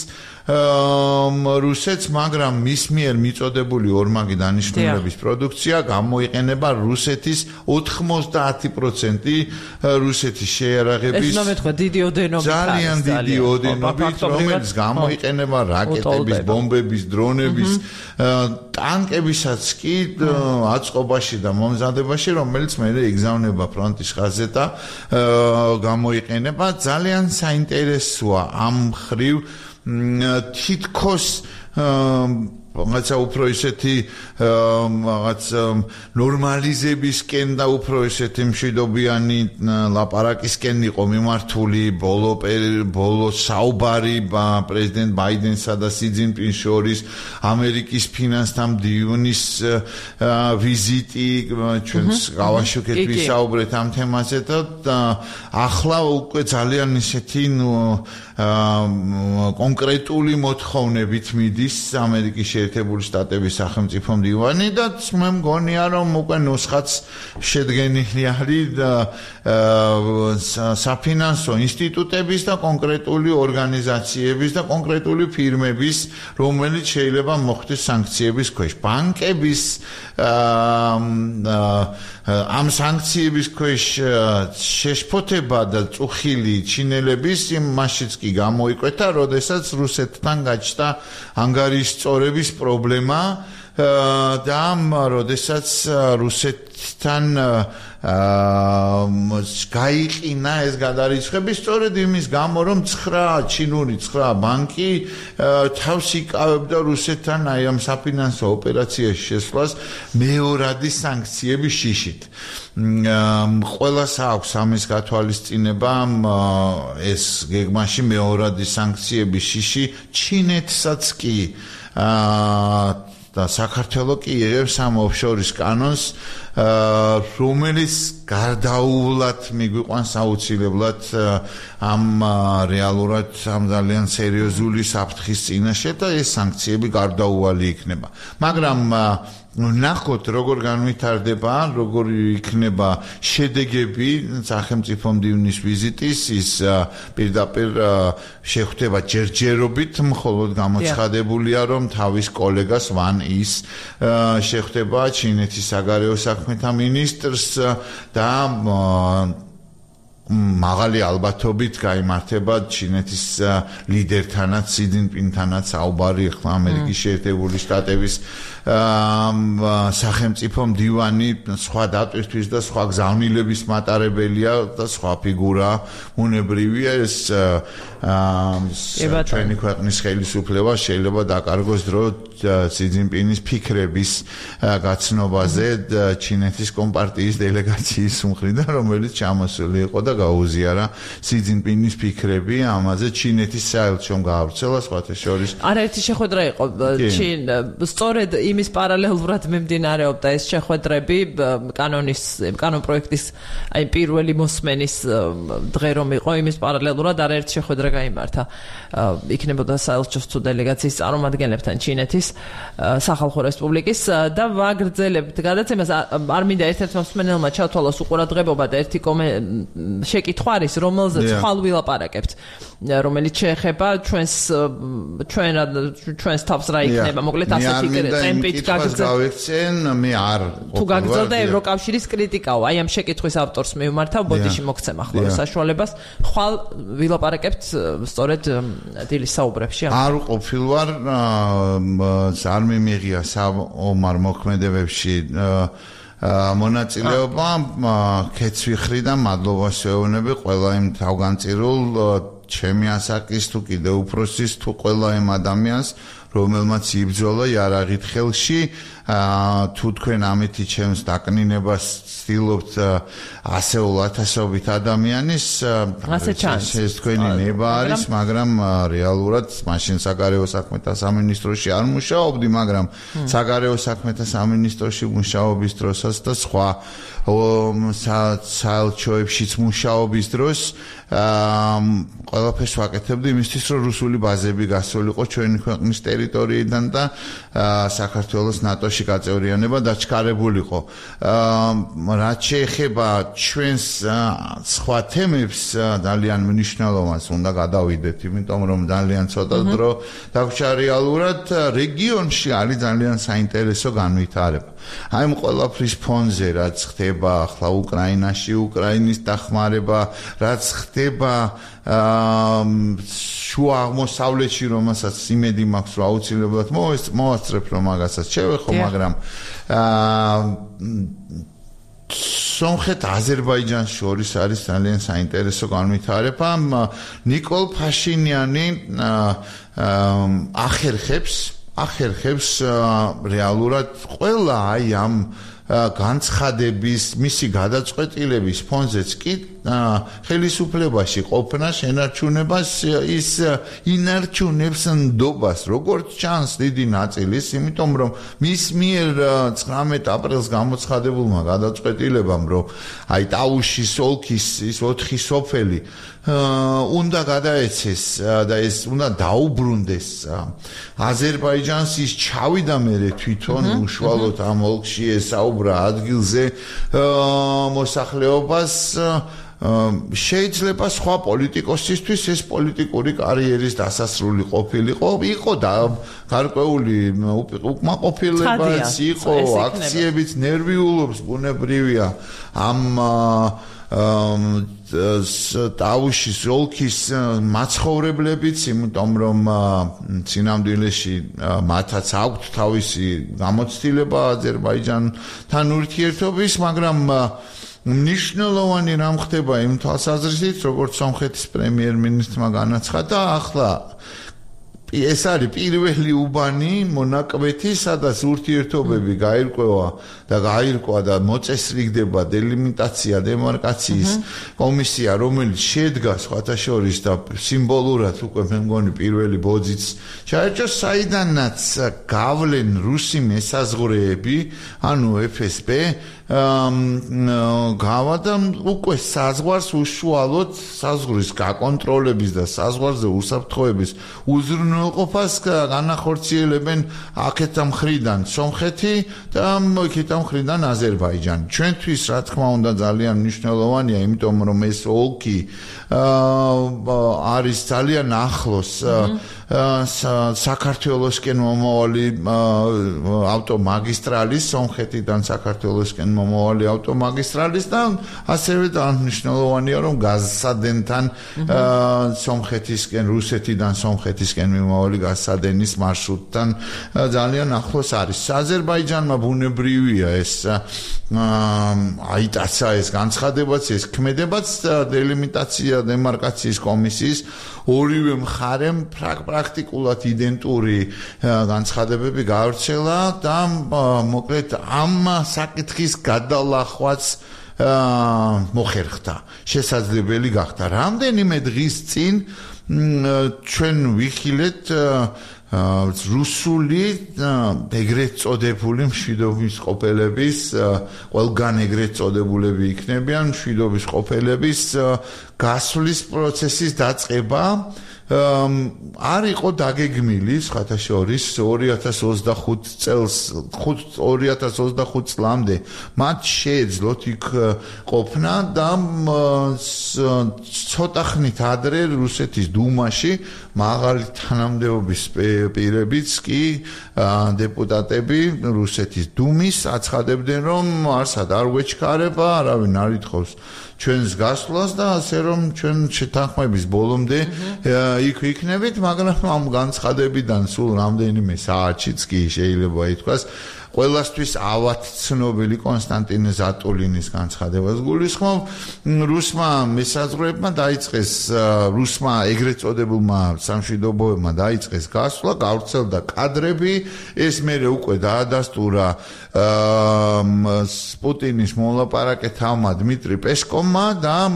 [SPEAKER 2] რუსეთს, მაგრამ მის მიერ მიწოდებული ორმაგი დანიშნულების პროდუქცია გამოიყენება რუსეთის 90% რუსეთის შეიარაღების ძალიან დიდი ოდენობით, რომელიც გამოიყენება რაკეტების, ბომბების, დრონების, ტანკებისაც კი აწყობაში და მომზადებაში, რომელიც მე იგზავნება ფრონტის ხაზზე და გამოიყენება ძალიან საინტერესოა ამ ხრივ თითქოს რაღაცა უფრო ისეთი რაღაც ნორმალიზებისკენ და უფრო ისეთი მშვიდობიანი ლაპარაკისკენ იყო მიმართული ბოლო საუბარი პრეზიდენტ ბაიდენსა და სი ძინპინს შორის ამერიკის ფინანსთა მდივნის ვიზიტი ჩვენს გავაშუქეთ ვისაუბრეთ ამ თემაზე და ახლა უკვე ძალიან ისეთი კონკრეტული მოთხოვნებით მიდის ამერიკის შეერთებული შტატების სახელმწიფო მდივანი და მე მგონია რომ უკვე ნუსხაც შედგენილი არის საფინანსო ინსტიტუტების და კონკრეტული ორგანიზაციების და კონკრეტული ფირმების რომელიც შეიძლება მოხდეს სანქციების ქვეშ ბანკების ამ სანქციების ქვეშ შეშფოთება და წუხილი ჩინელების იმაშიც კი გამოიკვეთა, როდესაც რუსეთთან გაჩნდა ანგარიშ სწორების პრობლემა და როდესაც რუსეთთან გაიყინა ეს გადარიცხები სწორედ იმის გამო რომ 9 ბანკი თავს იკავებდა რუსეთთან აი ამ საფინანსო ოპერაციაში შესვლას მეორადი სანქციების შიშით ყველას აქვს ამის გათვალისწინება ეს გეგმაში მეორადი სანქციების შიში ჩინეთსაც კი და საქართველოს კი იღებს ამ ოფშორის კანონს რომელიც გარდაუვლად მიგვიყვანს აუცილებლად ამ რეალურად ამ ძალიან სერიოზული საფრთხის წინაშე და ეს სანქციები გარდაუვალი იქნება მაგრამ ნახოთ როგორ განვითარდება, როგორ იქნება შედეგები სახელმწიფო მდივნის ვიზიტის, ის პირდაპირ შეხვდება ჯერჯერობით, მხოლოდ გამოცხადებულია, რომ თავის კოლეგას ვან ის შეხვდება ჩინეთის საგარეო საქმეთა მინისტრს და მაღალი ალბათობით გაიმართება ჩინეთის ლიდერთანაც, სი ძინპინთანაც საუბარი, ახლა ამერიკის შეერთებული შტატების სახელმწიფო მდივანი სხვა დატვირთვის და სხვა გზავნილების მატარებელია და სხვა ფიგურა უნებრივია ეს ჩვენი ქვეყნის ხელისუფლება შეიძლება დაკარგოს დრო სი ძინპინის ფიქრების გაცნობაზე ჩინეთის კომპარტიის დელეგაციის მხრიდან, რომელიც ჩამოსული იყო და გაუზიარა სი ძინპინის ფიქრები ამაზე ჩინეთის საელჩომ გაავრცელა სხვათა შორის.
[SPEAKER 1] არაერთი შეხვედრა იყო სწორედ იმის პარალელურად მიმდინარეობდა ეს შეხვედრები კანონ პროექტის აი პირველი მოსმენის დღე რომ იყო იმის პარალელურად არაერთი შეხვედრა გაიმართა. იქნებოდა საელჩოს თუ დელეგაციის წარმომადგენლებთან ჩინეთის სახალხო რესპუბლიკის და ვაგრძელებთ გადაცემას. არ მინდა ერთ-ერთმა მსმენელმა ჩათვალოს უყურადღებობა და ერთი შეკითხვა არის, რომელზეც ხვალ ვილაპარაკებთ, რომელიც შეეხება ჩვენს თავს რა იქნება, მოკლედ ასეთი ტემპით
[SPEAKER 2] გავიქცენ, მე არ
[SPEAKER 1] თუ გაგრძელდა ევროკავშირის კრიტიკაო, აი ამ შეკითხვის ავტორს მივმართავ, ბოდიში მოგცემ ახლა საშუალებას, ხვალ ვილაპარაკებთ სწორედ დილის საუბრებში.
[SPEAKER 2] არ ყოფილ ვარ, არ მიმიღია საომარ მოქმედებებში მონაწილეობა, ქეცვიხრი და მადლობას ვეუბნები ყველა იმ თავგანწირულ ჩემი ასაკის თუ კიდევ უფროსის თუ ყველა იმ ადამიანს, რომელმაც იბრძოლა იარაღით ხელში, თუ თქვენ ამითი ჩემს დაკნინებას ცდილობთ ასეულ ათასობით ადამიანის, ეს თქვენი ნება არის, მაგრამ რეალურად მაშინ საგარეო საქმეთა სამინისტროში არ მუშაობდი, მაგრამ საგარეო საქმეთა სამინისტროში მუშაობის დროსაც და სხვა საელჩოებშიც მუშაობის დროს ყველაფერს ვაკეთებდი იმისთვის, რომ რუსული ბაზები გასულიყო ჩვენი ქვეყნის ტერიტორიიდან და საქართველოს ნატოში გაწევრიანება დაჩქარებულიყო. რაც შეეხება ჩვენს სხვა თემებს, ძალიან მნიშვნელოვანს უნდა გადავიდეთ, იმიტომ რომ ძალიან ცოტა დრო დაგვრჩა რეალურად რეგიონში არის ძალიან საინტერესო განვითარება. აი ამ ყველაფრის ფონზე რაც ხდება ახლა უკრაინაში, უკრაინის დახმარება, რაც ხდება შუა აღმოსავლეთში, რომელსაც იმედი მაქვს, რომ აუცილებლად მოვასწრებ, რომ მაგასაც შევეხო, მაგრამ სომხეთ-აზერბაიჯანს შორის არის ძალიან საინტერესო განვითარება. ნიკოლ ფაშინიანი ახერხებს რეალურად ყველა აი ამ განცხადების, მისი გადაწყვეტილების ფონზეც კი ხელისუფლებაში ყოფნა შენარჩუნებას ის ინარჩუნებს ნდობას, როგორც ჩანს დიდი ნაწილის, იმიტომ რომ მის მიერ 19 აპრილს გამოცხადებულმა გადაწყვეტილებამ, რომ აი ტაუშის ოლქის ის 4 სოფელი უნდა გადაეცეს და ეს უნდა დაუბრუნდეს აზერბაიჯანს, ის ჩავიდა მერე თვითონ უშუალოდ ამ ოლქში ესაუბრა ადგილზე მოსახლეობას. შეიძლება სხვა პოლიტიკოსისთვის ეს პოლიტიკური კარიერის დასასრული ყოფილიყო, იყო და გარკვეული უკმაყოფილებაც იყო, აქციებიც ნერვიულობს, ბუნებრივია ამ ტაუშის ოლქის მაცხოვრებლებიც, იმიტომ რომ წინამძღოლში მათაც აქვთ თავისი გამოცდილება აზერბაიჯანთან ურთიერთობის, მაგრამ მნიშვნელოვანი რამ ხდება იმ თვალსაზრისით, როგორც სომხეთის პრემიერ-მინისტრმა განაცხადა, ახლა ეს არის პირველი უბანი მონაკვეთი, სადაც ურთიერთობები გაირკვა და მოწესრიგდება დელიმიტაცია, დემარკაციის კომისია, რომელიც შედგა სხვათა შორის და სიმბოლურად უკვე მე მგონი პირველი ბოძიც ჩაერჩა, საიდანაც გავლენ რუსი მესაზღვრეები, ანუ FSB გავადა უკვე საზღვარს უშუალოდ საზღვრის გაკონტროლების და საზღვარზე უსაფრთხოების უზრუნველყოფის მნიშვნელყოფას განახორციელებენ აქეთა მხრიდან სომხეთი და იქეთა მხრიდან აზერბაიჯანი. ჩვენთვის რა თქმა უნდა ძალიან მნიშვნელოვანია, იმიტომ რომ ეს ოლქი არის ძალიან ახლოს საქართველოსკენ მომავალი ავტომაგისტრალის, სომხეთიდან საქართველოსკენ მომავალი ავტომაგისტრალის და ასევე მნიშვნელოვანია რომ გაზსადენთან სომხეთისკენ, რუსეთიდან სომხეთისკენ მიმავალი გაზსადენის მარშრუტთან ძალიან ახლოს არის. აზერბაიჯანმა ბუნებრივია ეს აიტაცა ეს განცხადებაც, ეს ქმედებაც დელიმიტაცია დემარკაციის კომისიის ორივე მხარემ პრაქტიკულად იდენტური განცხადებები გაავრცელა და მოკლედ ამ საკითხის გადალახვაც მოხერხდა, შესაძლებელი გახდა. რამდენიმე დღის წინ ჩვენ ვიხილეთ რუსული ეგრეთ წოდებული მშვიდობის ყოფილების, ყველგან ეგრეთ წოდებულები იქნებიან მშვიდობის ყოფილების გასვლის პროცესის დაწყება. არ იყო დაგეგმილი სხვათაშორის 2025 წლამდე მათ შეეძლოთ იქ ყოფნა და ცოტა ხნით ადრე რუსეთის დუმაში მაღალი თანამდებობის პირებიც კი დეპუტატები რუსეთის დუმის აცხადებდნენ რომ არსად არ ვეჩქარება, არავინ არ ითხოვს ჩვენს გასვლას და ასე რომ ჩვენ შეთანხმების ბოლომდე იქ ვიქნებით, მაგრამ ამ განცხადებიდან სულ რამდენიმე საათშიც კი შეიძლება ითქვას ყველასთვის ავად ცნობილი კონსტანტინე ზატულინის განცხადებას გულისხმობ. რუსმა მესაზღვრეებმა დაიწყეს რუსმა ეგრეთ წოდებულმა სამშვიდობოებმა დაიწყეს გასვლა, გავრცელდა კადრები, ეს მერე უკვე დაადასტურა პუტინის მოლაპარაკეთავმა დმიტრი პესკოვმა და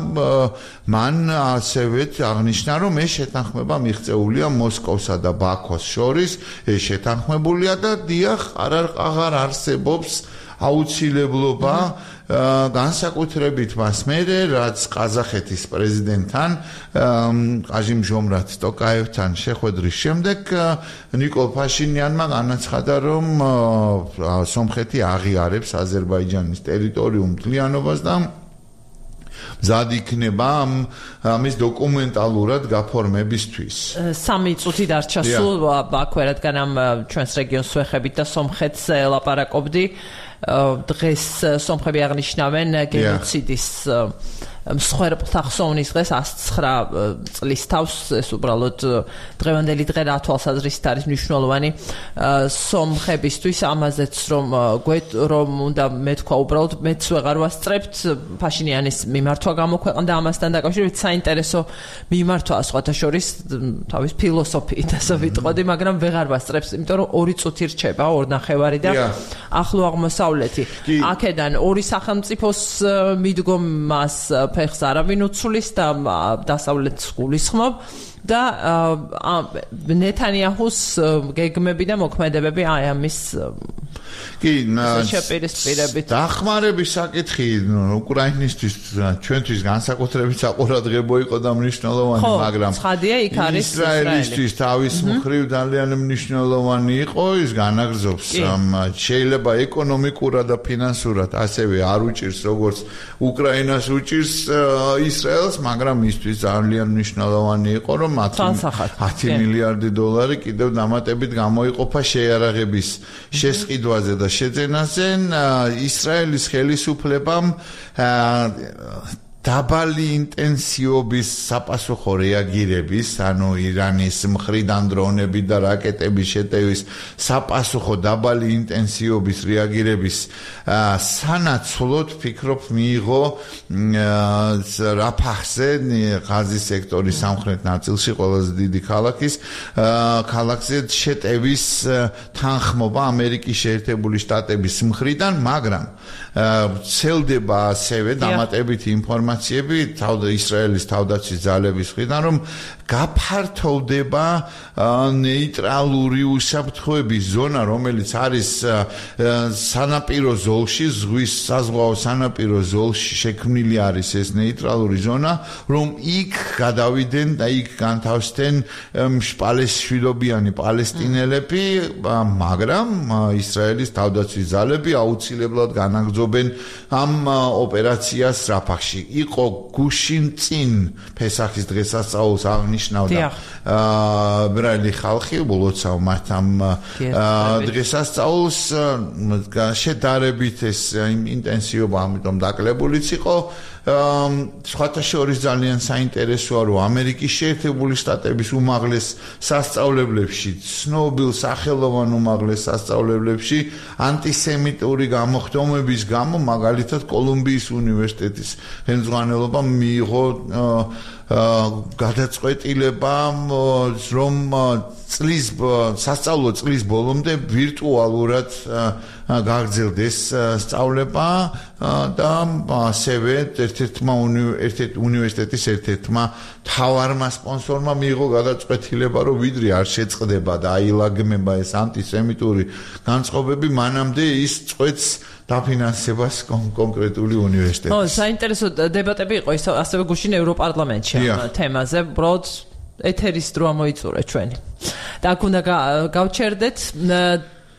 [SPEAKER 2] მან ასევე აღნიშნა, რომ ეს შეთანხმება მიღწეულია მოსკოვსა და ბაქოს შორის, ეს შეთანხმებულია და დიახ, აღარ არსებობს აუცილებლობა განსაკუთრებით მას მერე, რაც ყაზახეთის პრეზიდენტთან ყაჟიმ ჟომრათ ტოკაევთან შეხვედრის შემდეგ ნიკოლ ფაშინიანმა განაცხადა, რომ სომხეთი აღიარებს აზერბაიჯანის ტერიტორიულ მთლიანობას და მზად იქნება ამის დოკუმენტალურად გაფორმებისთვის.
[SPEAKER 1] 3 წუთი დარჩა სულ აქვე, რადგან ამ ჩვენს რეგიონს ვეხებით და სომხეთს ელაპარაკობდი. დღეს სომხები აღნიშნავენ გენოციდის მსხვერპლთა ხსოვნის დღეს 109 წლის თავს, ეს უბრალოდ დღევანდელი დღე რა თვალსაზრისით არის მნიშვნელოვანი სომხებისთვის, ამაზეც რომ უნდა მეთქვა უბრალოდ მეც ვეღარ ვასწრებთ ფაშინიანის მიმართვა გამოქვეყნდა ამასთან დაკავშირებით საინტერესო მიმართვაა სხვათა შორის თავის ფილოსოფიით ასე ვიტყოდი, მაგრამ ვეღარ ვასწრებს, იმიტომ რომ 2 წუთი რჩება 2.5 და ახლო აღმოსავლეთი. აქედან ორი სახელმწიფოს მიდგომას ფეხს არავინ უცვლის და დასავლეთს გულისხმობ და ნეთანიაჰუს გეგმები და მოქმედებები აი ამის შეპირისპირებით.
[SPEAKER 2] დახმარების საკითხი უკრაინისთვის ჩვენთვის განსაკუთრებით საყურადღებო იყო და მნიშვნელოვანი, მაგრამ
[SPEAKER 1] ცხადია იქ არის
[SPEAKER 2] ისრაელისთვის თავის მხრივ ძალიან მნიშვნელოვანი იყო, ის განაგრძობს შეიძლება ეკონომიკურად და ფინანსურად ასევე არ უჭირს როგორც უკრაინას უჭირს ისრაელს, მაგრამ მისთვის ძალიან მნიშვნელოვანი იყო რომ 10 მილიარდი დოლარი კიდევ დამატებით გამოიყოფა შეიარაღების შესყიდვაზე და შეძენაზე. ისრაელის ხელისუფლებამ დაბალი ინტენსივობის საპასუხო რეაგირების, ანუ ირანის მხრიდან დრონები და რაკეტების შეტევის საპასუხო დაბალი ინტენსივობის რეაგირების სანაცვლოდ ფიქრობ მიიღო რაფაჰზე, ღაზის სექტორის სამხრეთ ნაწილში ყველაზე დიდი ქალაქზე შეტევის თანხმობა ამერიკის შეერთებული შტატების მხრიდან, მაგრამ ცელდება ასევე დამატებითი ინფორმაცია ინფორმაციები ისრაელის თავდაცვის ძალების მხრიდან, რომ გაფართოვდება ნეიტრალური უსაფრთხოების ზონა, რომელიც არის სანაპირო ზოლში, ზღვის საზღვაო სანაპირო ზოლში შექმნილი არის ეს ნეიტრალური ზონა, რომ იქ გადავიდნენ და იქ განთავსდნენ მშპალესშვილობიანი პალესტინელები, მაგრამ ისრაელის თავდაცვის ძალები აუცილებლად განაგრძობენ ამ ოპერაციას რაფახში. იყო გუშინ წინ ფესახის დღესასწაულს აღნიშნავდა ებრაელი ხალხი, უბრალოდ მათ ამ დღესასწაულს შედარებით ეს ინტენსივობა ამიტომ დაკლებულიც იყო. სხვათა შორის ძალიან საინტერესოა, რომ ამერიკის შეერთებული შტატების უმაღლეს სასწავლებლებში, ცნობილ სახელოვან უმაღლეს სასწავლებლებში ანტისემიტური გამოხდომების გამო, მაგალითად კოლუმბიის უნივერსიტეტის ხელმძღვანელობამ მიიღო გადაწყვეტილება, რომ სასწავლო წლის ბოლომდე ვირტუალურად გაგრძელდეს სწავლება და ასევე უნივერსიტეტის ერთ-ერთმა მთავარმა სპონსორმა მიიღო გადაწყვეტილება, რომ ვიდრე არ შეწყდება და აილაგმება ეს ანტისემიტური განწყობები, მანამდე ის წყვეტს დაფინანსებას კონკრეტული უნივერსიტეტის.
[SPEAKER 1] საინტერესო დებატები იყო ის ასევე გუშინ ევროპარლამენტში ამ თემაზე, უბრალოდ ეთერის დრო მოიწურე ჩვენი. და აქ უნდა გავჩერდეთ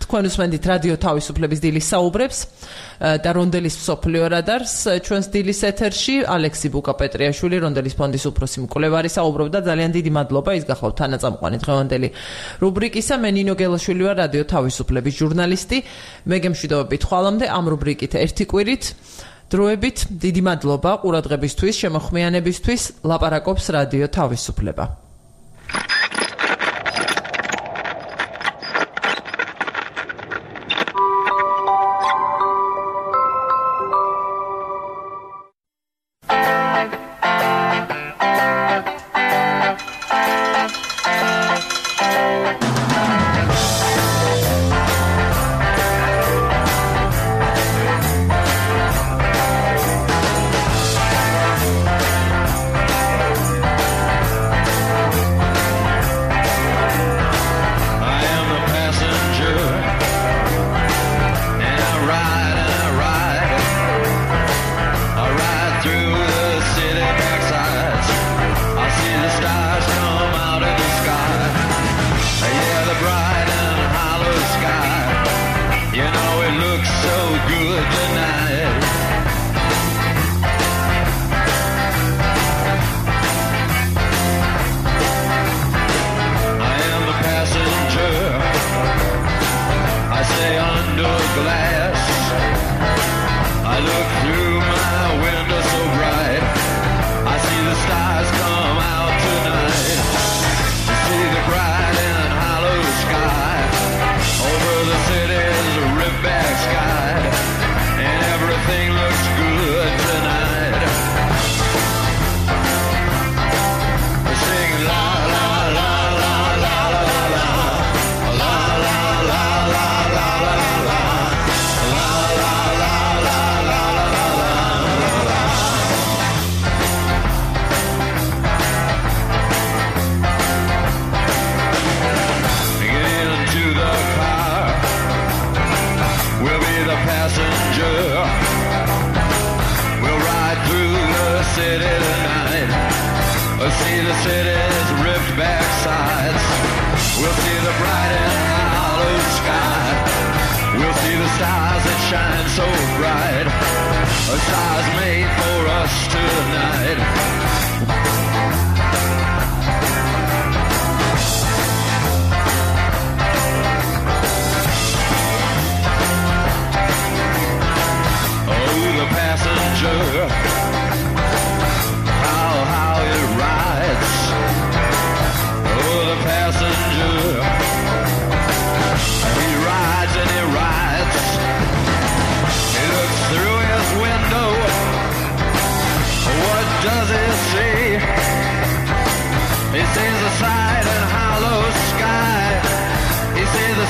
[SPEAKER 1] თქვენ უსმენთ რადიო თავისუფლების დილის საუბრებს და რონდელის მსოფლიო რადარს ჩვენს დილის ეთერში ალექსი ბუკა-პეტრიაშვილი რონდელის ფონდის უფროსი მკვლევარი საუბრობდა. ძალიან დიდი მადლობა, ის გახლავთ თანაწამყვანი დღევანდელი რუბრიკისა. მე ნინო გელაშვილი ვარ, რადიო თავისუფლების ჟურნალისტი. მე გემშვიდობებით ხვალამდე ამ რუბრიკით ერთი კვირით დროებით. დიდი მადლობა ყურადღებისთვის, შემოხმიანებისთვის. ლაპარაკობს რადიო თავისუფლება.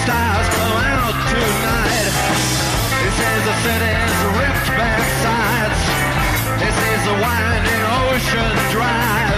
[SPEAKER 3] Stars come out tonight. It says the city's ripped back sides. This is the wine. ocean dry.